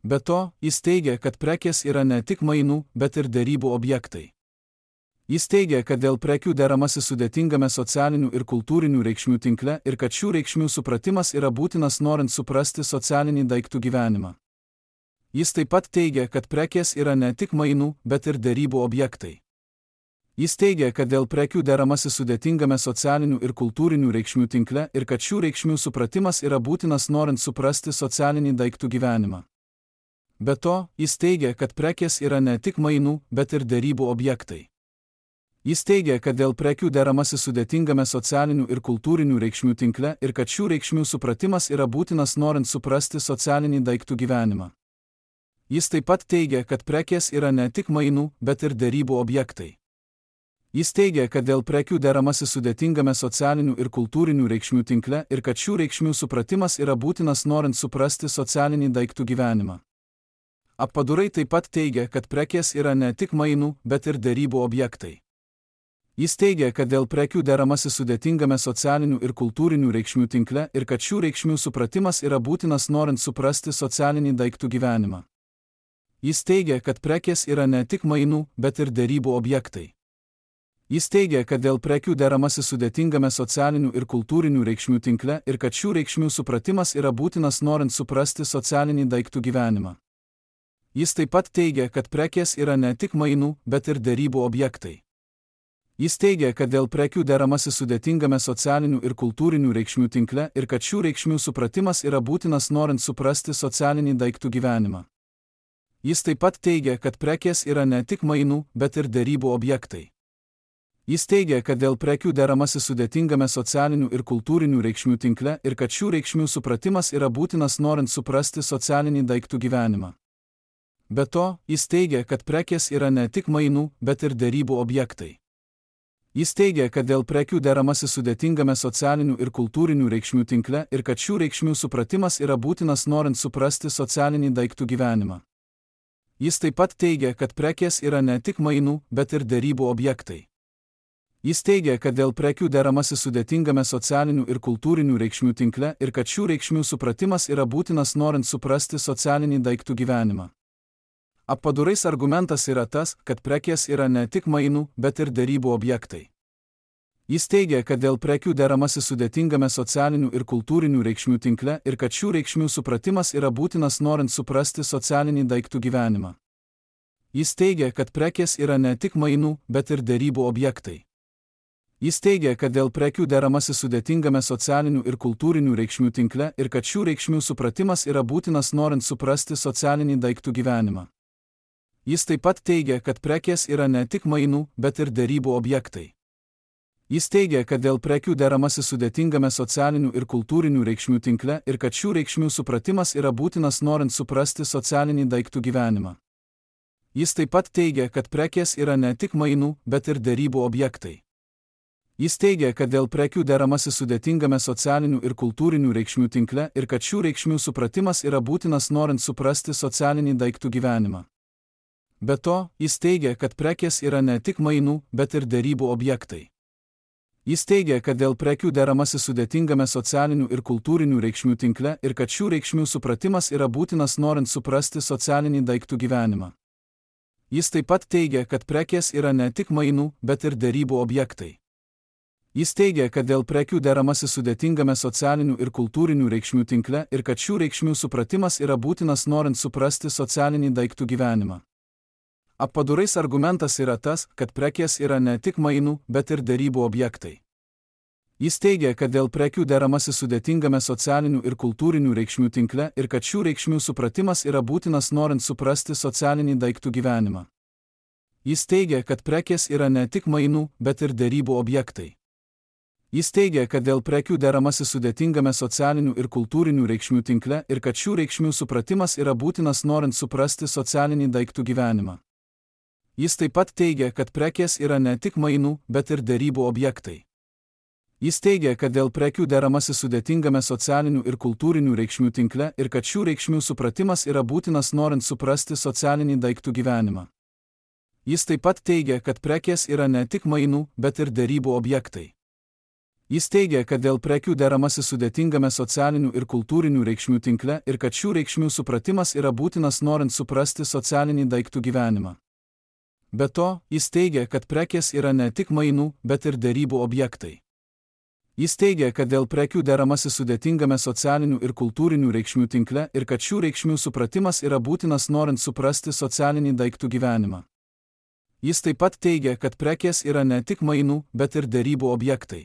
Be to, jis teigia, kad prekės yra ne tik mainų, bet ir derybų objektai. Jis teigia, kad dėl prekių deramasi sudėtingame socialinių ir kultūrinių reikšmių tinkle ir kad šių reikšmių supratimas yra būtinas norint suprasti socialinį daiktų gyvenimą. Jis taip pat teigia, kad prekės yra ne tik mainų, bet ir derybų objektai. Jis teigia, kad dėl prekių deramasi sudėtingame socialinių ir kultūrinių reikšmių tinkle ir kad šių reikšmių supratimas yra būtinas norint suprasti socialinį daiktų gyvenimą. Be to, jis teigia, kad prekės yra ne tik mainų, bet ir derybų objektai. Jis teigia, kad dėl prekių deramasi sudėtingame socialinių ir kultūrinių reikšmių tinkle ir kad šių reikšmių supratimas yra būtinas norint suprasti socialinį daiktų gyvenimą. Jis taip pat teigia, kad prekės yra ne tik mainų, bet ir derybų objektai. Jis teigia, kad dėl prekių deramasi sudėtingame socialinių ir kultūrinių reikšmių tinkle ir kad šių reikšmių supratimas yra būtinas norint suprasti socialinį daiktų gyvenimą. Apdarai taip pat teigia, kad prekės yra ne tik mainų, bet ir derybų objektai. Jis teigia, kad dėl prekių deramasi sudėtingame socialinių ir kultūrinių reikšmių tinkle ir kad šių reikšmių supratimas yra būtinas norint suprasti socialinį daiktų gyvenimą. Jis teigia, kad prekės yra ne tik mainų, bet ir derybų objektai. Jis teigia, kad dėl prekių deramasi sudėtingame socialinių ir kultūrinių reikšmių tinkle ir kad šių reikšmių supratimas yra būtinas norint suprasti socialinį daiktų gyvenimą. Jis taip pat teigia, kad prekės yra ne tik mainų, bet ir derybų objektai. Jis teigia, kad dėl prekių deramasi sudėtingame socialinių ir kultūrinių reikšmių tinkle ir kad šių reikšmių supratimas yra būtinas norint suprasti socialinį daiktų gyvenimą. Jis taip pat teigia, kad prekės yra ne tik mainų, bet ir derybų objektai. Jis teigia, kad dėl prekių deramasi sudėtingame socialinių ir kultūrinių reikšmių tinkle ir kad šių reikšmių supratimas yra būtinas norint suprasti socialinį daiktų gyvenimą. Be to, jis teigia, kad prekės yra ne tik mainų, bet ir derybų objektai. Jis teigia, kad dėl prekių deramasi sudėtingame socialinių ir kultūrinių reikšmių tinkle ir kad šių reikšmių supratimas yra būtinas norint suprasti socialinį daiktų gyvenimą. Jis taip pat teigia, kad prekės yra ne tik mainų, bet ir derybų objektai. Jis teigia, kad dėl prekių deramasi sudėtingame socialinių ir kultūrinių reikšmių tinkle ir kad šių reikšmių supratimas yra būtinas norint suprasti socialinį daiktų gyvenimą. Apdarais argumentas yra tas, kad prekės yra ne tik mainų, bet ir derybų objektai. Jis teigia, kad dėl prekių deramasi sudėtingame socialinių ir kultūrinių reikšmių tinkle ir kad šių reikšmių supratimas yra būtinas norint suprasti socialinį daiktų gyvenimą. Jis teigia, kad prekės yra ne tik mainų, bet ir derybų objektai. Jis teigia, kad dėl prekių deramasi sudėtingame socialinių ir kultūrinių reikšmių tinkle ir kad šių reikšmių supratimas yra būtinas norint suprasti socialinį daiktų gyvenimą. Jis taip pat teigia, kad prekės yra ne tik mainų, bet ir derybų objektai. Jis teigia, kad dėl prekių deramasi sudėtingame socialinių ir kultūrinių reikšmių tinkle ir kad šių reikšmių supratimas yra būtinas norint suprasti socialinį daiktų gyvenimą. Jis taip pat teigia, kad prekės yra ne tik mainų, bet ir derybų objektai. Jis teigia, kad dėl prekių deramasi sudėtingame socialinių ir kultūrinių reikšmių tinkle ir kad šių reikšmių supratimas yra būtinas norint suprasti socialinį daiktų gyvenimą. Be to, jis teigia, kad prekės yra ne tik mainų, bet ir derybų objektai. Jis teigia, kad dėl prekių deramasi sudėtingame socialinių ir kultūrinių reikšmių tinkle ir kad šių reikšmių supratimas yra būtinas norint suprasti socialinį daiktų gyvenimą. Jis taip pat teigia, kad prekės yra ne tik mainų, bet ir derybų objektai. Jis teigia, kad dėl prekių deramasi sudėtingame socialinių ir kultūrinių reikšmių tinkle ir kad šių reikšmių supratimas yra būtinas norint suprasti socialinį daiktų gyvenimą. Apdarais argumentas yra tas, kad prekės yra ne tik mainų, bet ir derybų objektai. Jis teigia, kad dėl prekių deramasi sudėtingame socialinių ir kultūrinių reikšmių tinkle ir kad šių reikšmių supratimas yra būtinas norint suprasti socialinį daiktų gyvenimą. Jis teigia, kad prekės yra ne tik mainų, bet ir derybų objektai. Jis teigia, kad dėl prekių deramasi sudėtingame socialinių ir kultūrinių reikšmių tinkle ir kad šių reikšmių supratimas yra būtinas norint suprasti socialinį daiktų gyvenimą. Jis taip pat teigia, kad prekės yra ne tik mainų, bet ir derybų objektai. Jis teigia, kad dėl prekių deramasi sudėtingame socialinių ir kultūrinių reikšmių tinkle ir kad šių reikšmių supratimas yra būtinas norint suprasti socialinį daiktų gyvenimą. Jis taip pat teigia, kad prekės yra ne tik mainų, bet ir derybų objektai. Jis teigia, kad dėl prekių deramasi sudėtingame socialinių ir kultūrinių reikšmių tinkle ir kad šių reikšmių supratimas yra būtinas norint suprasti socialinį daiktų gyvenimą. Be to, jis teigia, kad prekės yra ne tik mainų, bet ir derybų objektai. Jis teigia, kad dėl prekių deramasi sudėtingame socialinių ir kultūrinių reikšmių tinkle ir kad šių reikšmių supratimas yra būtinas norint suprasti socialinį daiktų gyvenimą. Jis taip pat teigia, kad prekės yra ne tik mainų, bet ir derybų objektai.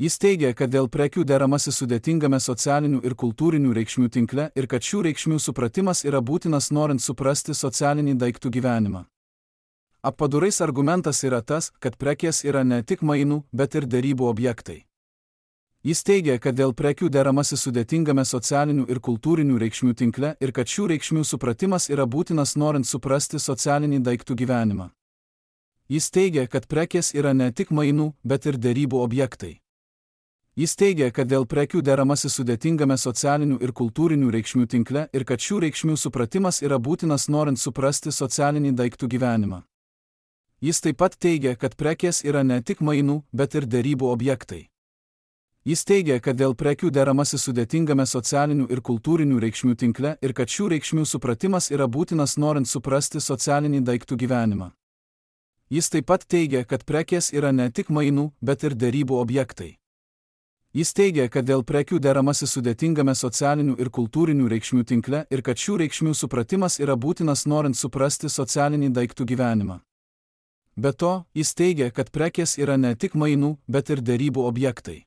Jis teigia, kad dėl prekių deramasi sudėtingame socialinių ir kultūrinių reikšmių tinkle ir kad šių reikšmių supratimas yra būtinas norint suprasti socialinį daiktų gyvenimą. Apdarais argumentas yra tas, kad prekės yra ne tik mainų, bet ir derybų objektai. Jis teigia, kad dėl prekių deramasi sudėtingame socialinių ir kultūrinių reikšmių tinkle ir kad šių reikšmių supratimas yra būtinas norint suprasti socialinį daiktų gyvenimą. Jis teigia, kad prekės yra ne tik mainų, bet ir derybų objektai. Jis teigia, kad dėl prekių deramasi sudėtingame socialinių ir kultūrinių reikšmių tinkle ir kad šių reikšmių supratimas yra būtinas norint suprasti socialinį daiktų gyvenimą. Jis taip pat teigia, kad prekės yra ne tik mainų, bet ir derybų objektai. Jis teigia, kad dėl prekių deramasi sudėtingame socialinių ir kultūrinių reikšmių tinkle ir kad šių reikšmių supratimas yra būtinas norint suprasti socialinį daiktų gyvenimą. Jis taip pat teigia, kad prekės yra ne tik mainų, bet ir derybų objektai. Jis teigia, kad dėl prekių deramasi sudėtingame socialinių ir kultūrinių reikšmių tinkle ir kad šių reikšmių supratimas yra būtinas norint suprasti socialinį daiktų gyvenimą. Be to, jis teigia, kad prekės yra ne tik mainų, bet ir derybų objektai.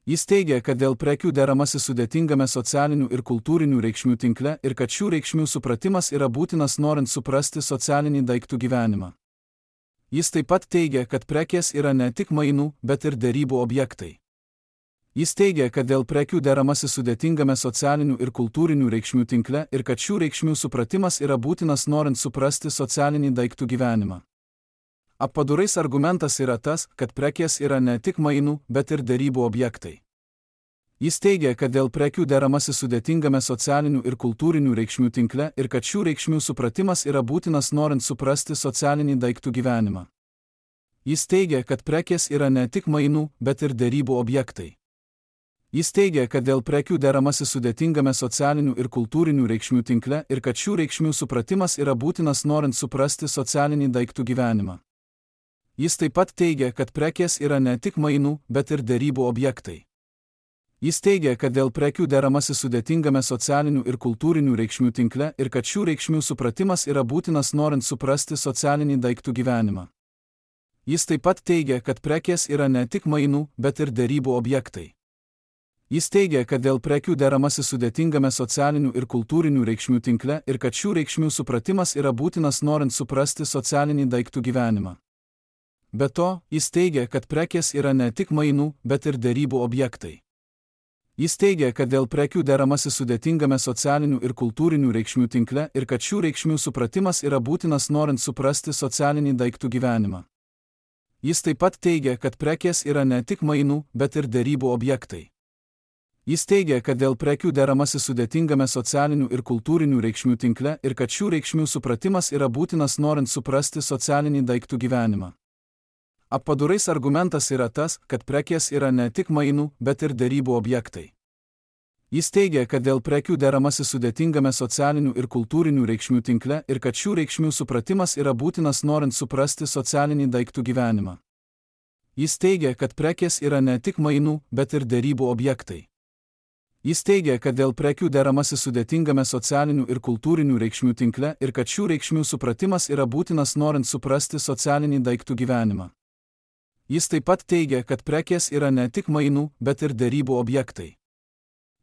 Jis teigia, kad dėl prekių deramasi sudėtingame socialinių ir kultūrinių reikšmių tinkle ir kad šių reikšmių supratimas yra būtinas norint suprasti socialinį daiktų gyvenimą. Jis taip pat teigia, kad prekės yra ne tik mainų, bet ir derybų objektai. Jis teigia, kad dėl prekių deramasi sudėtingame socialinių ir kultūrinių reikšmių tinkle ir kad šių reikšmių supratimas yra būtinas norint suprasti socialinį daiktų gyvenimą. Apdarais argumentas yra tas, kad prekės yra ne tik mainų, bet ir derybų objektai. Jis teigia, kad dėl prekių deramasi sudėtingame socialinių ir kultūrinių reikšmių tinkle ir kad šių reikšmių supratimas yra būtinas norint suprasti socialinį daiktų gyvenimą. Jis teigia, kad prekės yra ne tik mainų, bet ir derybų objektai. Jis teigia, kad dėl prekių deramasi sudėtingame socialinių ir kultūrinių reikšmių tinkle ir kad šių reikšmių supratimas yra būtinas norint suprasti socialinį daiktų gyvenimą. Jis taip pat teigia, kad prekės yra ne tik mainų, bet ir derybų objektai. Jis teigia, kad dėl prekių deramasi sudėtingame socialinių ir kultūrinių reikšmių tinkle ir kad šių reikšmių supratimas yra būtinas norint suprasti socialinį daiktų gyvenimą. Jis taip pat teigia, kad prekės yra ne tik mainų, bet ir derybų objektai. Jis teigia, kad dėl prekių deramasi sudėtingame socialinių ir kultūrinių reikšmių tinkle ir kad šių reikšmių supratimas yra būtinas norint suprasti socialinį daiktų gyvenimą. Be to, jis teigia, kad prekės yra ne tik mainų, bet ir derybų objektai. Jis teigia, kad dėl prekių deramasi sudėtingame socialinių ir kultūrinių reikšmių tinkle ir kad šių reikšmių supratimas yra būtinas norint suprasti socialinį daiktų gyvenimą. Jis taip pat teigia, kad prekės yra ne tik mainų, bet ir derybų objektai. Jis teigia, kad dėl prekių deramasi sudėtingame socialinių ir kultūrinių reikšmių tinkle ir kad šių reikšmių supratimas yra būtinas norint suprasti socialinį daiktų gyvenimą. Appadurais argumentas yra tas, kad prekės yra ne tik mainų, bet ir derybų objektai. Jis teigia, kad dėl prekių deramasi sudėtingame socialinių ir kultūrinių reikšmių tinkle ir kad šių reikšmių supratimas yra būtinas norint suprasti socialinį daiktų gyvenimą. Jis teigia, kad prekės yra ne tik mainų, bet ir derybų objektai. Jis teigia, kad dėl prekių deramasi sudėtingame socialinių ir kultūrinių reikšmių tinkle ir kad šių reikšmių supratimas yra būtinas norint suprasti socialinį daiktų gyvenimą. Jis taip pat teigia, kad prekės yra ne tik mainų, bet ir derybų objektai.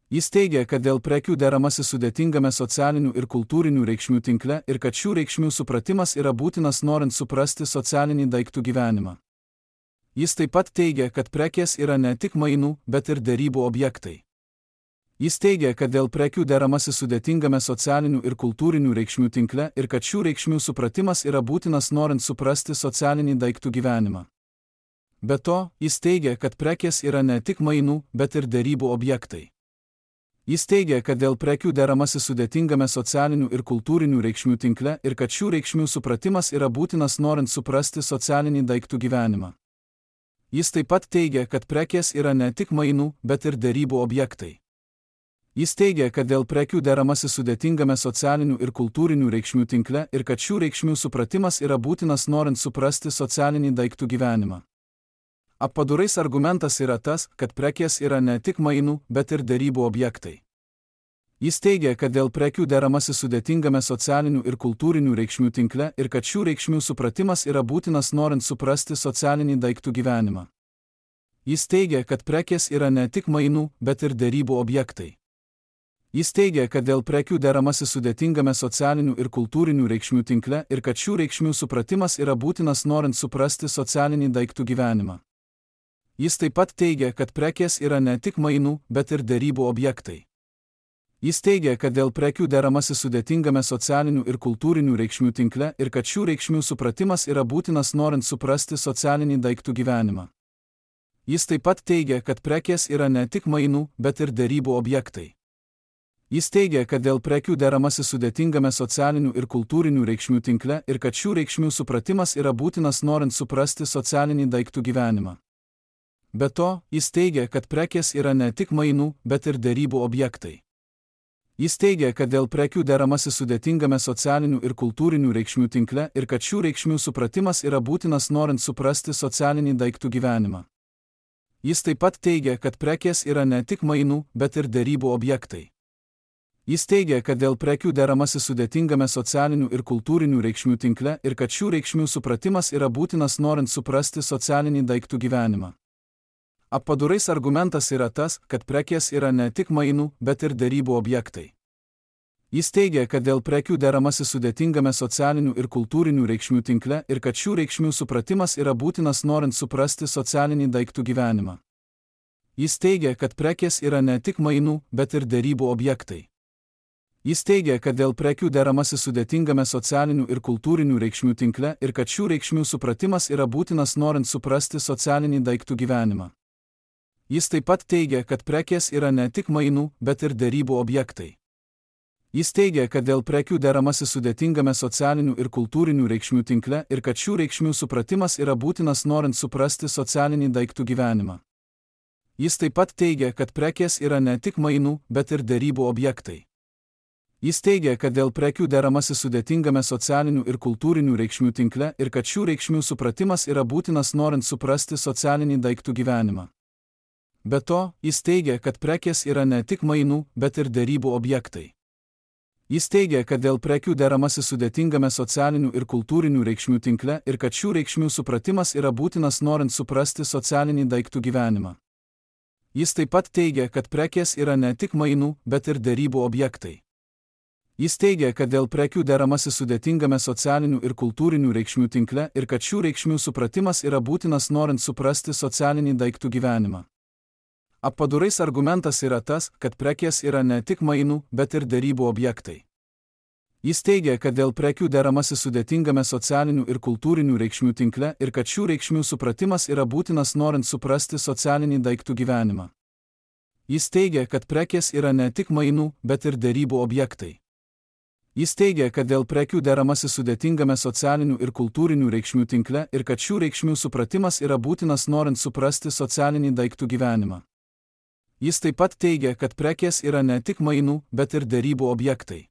Jis teigia, kad dėl prekių deramasi sudėtingame socialinių ir kultūrinių reikšmių tinkle ir kad šių reikšmių supratimas yra būtinas norint suprasti socialinį daiktų gyvenimą. Jis taip pat teigia, kad prekės yra ne tik mainų, bet ir derybų objektai. Jis teigia, kad dėl prekių deramasi sudėtingame socialinių ir kultūrinių reikšmių tinkle ir kad šių reikšmių supratimas yra būtinas norint suprasti socialinį daiktų gyvenimą. Be to, jis teigia, kad prekės yra ne tik mainų, bet ir derybų objektai. Jis teigia, kad dėl prekių deramasi sudėtingame socialinių ir kultūrinių reikšmių tinkle ir kad šių reikšmių supratimas yra būtinas norint suprasti socialinį daiktų gyvenimą. Jis taip pat teigia, kad prekės yra ne tik mainų, bet ir derybų objektai. Jis teigia, kad dėl prekių deramasi sudėtingame socialinių ir kultūrinių reikšmių tinkle ir kad šių reikšmių supratimas yra būtinas norint suprasti socialinį daiktų gyvenimą. Appadurais argumentas yra tas, kad prekės yra ne tik mainų, bet ir derybų objektai. Jis teigia, kad dėl prekių deramasi sudėtingame socialinių ir kultūrinių reikšmių tinkle ir kad šių reikšmių supratimas yra būtinas norint suprasti socialinį daiktų gyvenimą. Jis teigia, kad prekės yra ne tik mainų, bet ir derybų objektai. Jis teigia, kad dėl prekių deramasi sudėtingame socialinių ir kultūrinių reikšmių tinkle ir kad šių reikšmių supratimas yra būtinas norint suprasti socialinį daiktų gyvenimą. Jis taip pat teigia, kad prekės yra ne tik mainų, bet ir derybų objektai. Jis teigia, kad dėl prekių deramasi sudėtingame socialinių ir kultūrinių reikšmių tinkle ir kad šių reikšmių supratimas yra būtinas norint suprasti socialinį daiktų gyvenimą. Jis taip pat teigia, kad prekės yra ne tik mainų, bet ir derybų objektai. Jis teigia, kad dėl prekių deramasi sudėtingame socialinių ir kultūrinių reikšmių tinkle ir kad šių reikšmių supratimas yra būtinas norint suprasti socialinį daiktų gyvenimą. Be to, jis teigia, kad prekės yra ne tik mainų, bet ir derybų objektai. Jis teigia, kad dėl prekių deramasi sudėtingame socialinių ir kultūrinių reikšmių tinkle ir kad šių reikšmių supratimas yra būtinas norint suprasti socialinį daiktų gyvenimą. Jis taip pat teigia, kad prekės yra ne tik mainų, bet ir derybų objektai. Jis teigia, kad dėl prekių deramasi sudėtingame socialinių ir kultūrinių reikšmių tinkle ir kad šių reikšmių supratimas yra būtinas norint suprasti socialinį daiktų gyvenimą. Appadurais argumentas yra tas, kad prekės yra ne tik mainų, bet ir derybų objektai. Jis teigia, kad dėl prekių deramasi sudėtingame socialinių ir kultūrinių reikšmių tinkle ir kad šių reikšmių supratimas yra būtinas norint suprasti socialinį daiktų gyvenimą. Jis teigia, kad prekės yra ne tik mainų, bet ir derybų objektai. Jis teigia, kad dėl prekių deramasi sudėtingame socialinių ir kultūrinių reikšmių tinkle ir kad šių reikšmių supratimas yra būtinas norint suprasti socialinį daiktų gyvenimą. Jis taip pat teigia, kad prekės yra ne tik mainų, bet ir derybų objektai. Jis teigia, kad dėl prekių deramasi sudėtingame socialinių ir kultūrinių reikšmių tinkle ir kad šių reikšmių supratimas yra būtinas norint suprasti socialinį daiktų gyvenimą. Jis taip pat teigia, kad prekės yra ne tik mainų, bet ir derybų objektai. Jis teigia, kad dėl prekių deramasi sudėtingame socialinių ir kultūrinių reikšmių tinkle ir kad šių reikšmių supratimas yra būtinas norint suprasti socialinį daiktų gyvenimą. Be to, jis teigia, kad prekės yra ne tik mainų, bet ir derybų objektai. Jis teigia, kad dėl prekių deramasi sudėtingame socialinių ir kultūrinių reikšmių tinkle ir kad šių reikšmių supratimas yra būtinas norint suprasti socialinį daiktų gyvenimą. Jis taip pat teigia, kad prekės yra ne tik mainų, bet ir derybų objektai. Jis teigia, kad dėl prekių deramasi sudėtingame socialinių ir kultūrinių reikšmių tinkle ir kad šių reikšmių supratimas yra būtinas norint suprasti socialinį daiktų gyvenimą. Appadurais argumentas yra tas, kad prekės yra ne tik mainų, bet ir derybų objektai. Jis teigia, kad dėl prekių deramasi sudėtingame socialinių ir kultūrinių reikšmių tinkle ir kad šių reikšmių supratimas yra būtinas norint suprasti socialinį daiktų gyvenimą. Jis teigia, kad prekės yra ne tik mainų, bet ir derybų objektai. Jis teigia, kad dėl prekių deramasi sudėtingame socialinių ir kultūrinių reikšmių tinkle ir kad šių reikšmių supratimas yra būtinas norint suprasti socialinį daiktų gyvenimą. Jis taip pat teigia, kad prekės yra ne tik mainų, bet ir derybų objektai.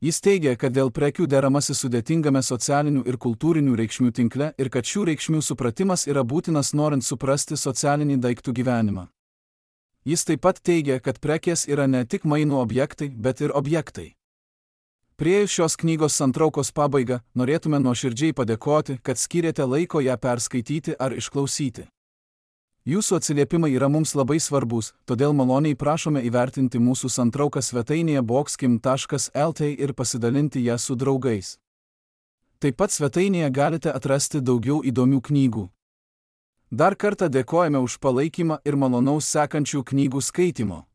Jis teigia, kad dėl prekių deramasi sudėtingame socialinių ir kultūrinių reikšmių tinkle ir kad šių reikšmių supratimas yra būtinas norint suprasti socialinį daiktų gyvenimą. Jis taip pat teigia, kad prekės yra ne tik mainų objektai, bet ir objektai. Priėjus šios knygos santraukos pabaigą, norėtume nuoširdžiai padėkoti, kad skyrėte laiko ją perskaityti ar išklausyti. Jūsų atsiliepimai yra mums labai svarbus, todėl maloniai prašome įvertinti mūsų santrauką svetainėje boxkim.lt ir pasidalinti ją su draugais. Taip pat svetainėje galite atrasti daugiau įdomių knygų. Dar kartą dėkojame už palaikymą ir malonaus sekančių knygų skaitymo.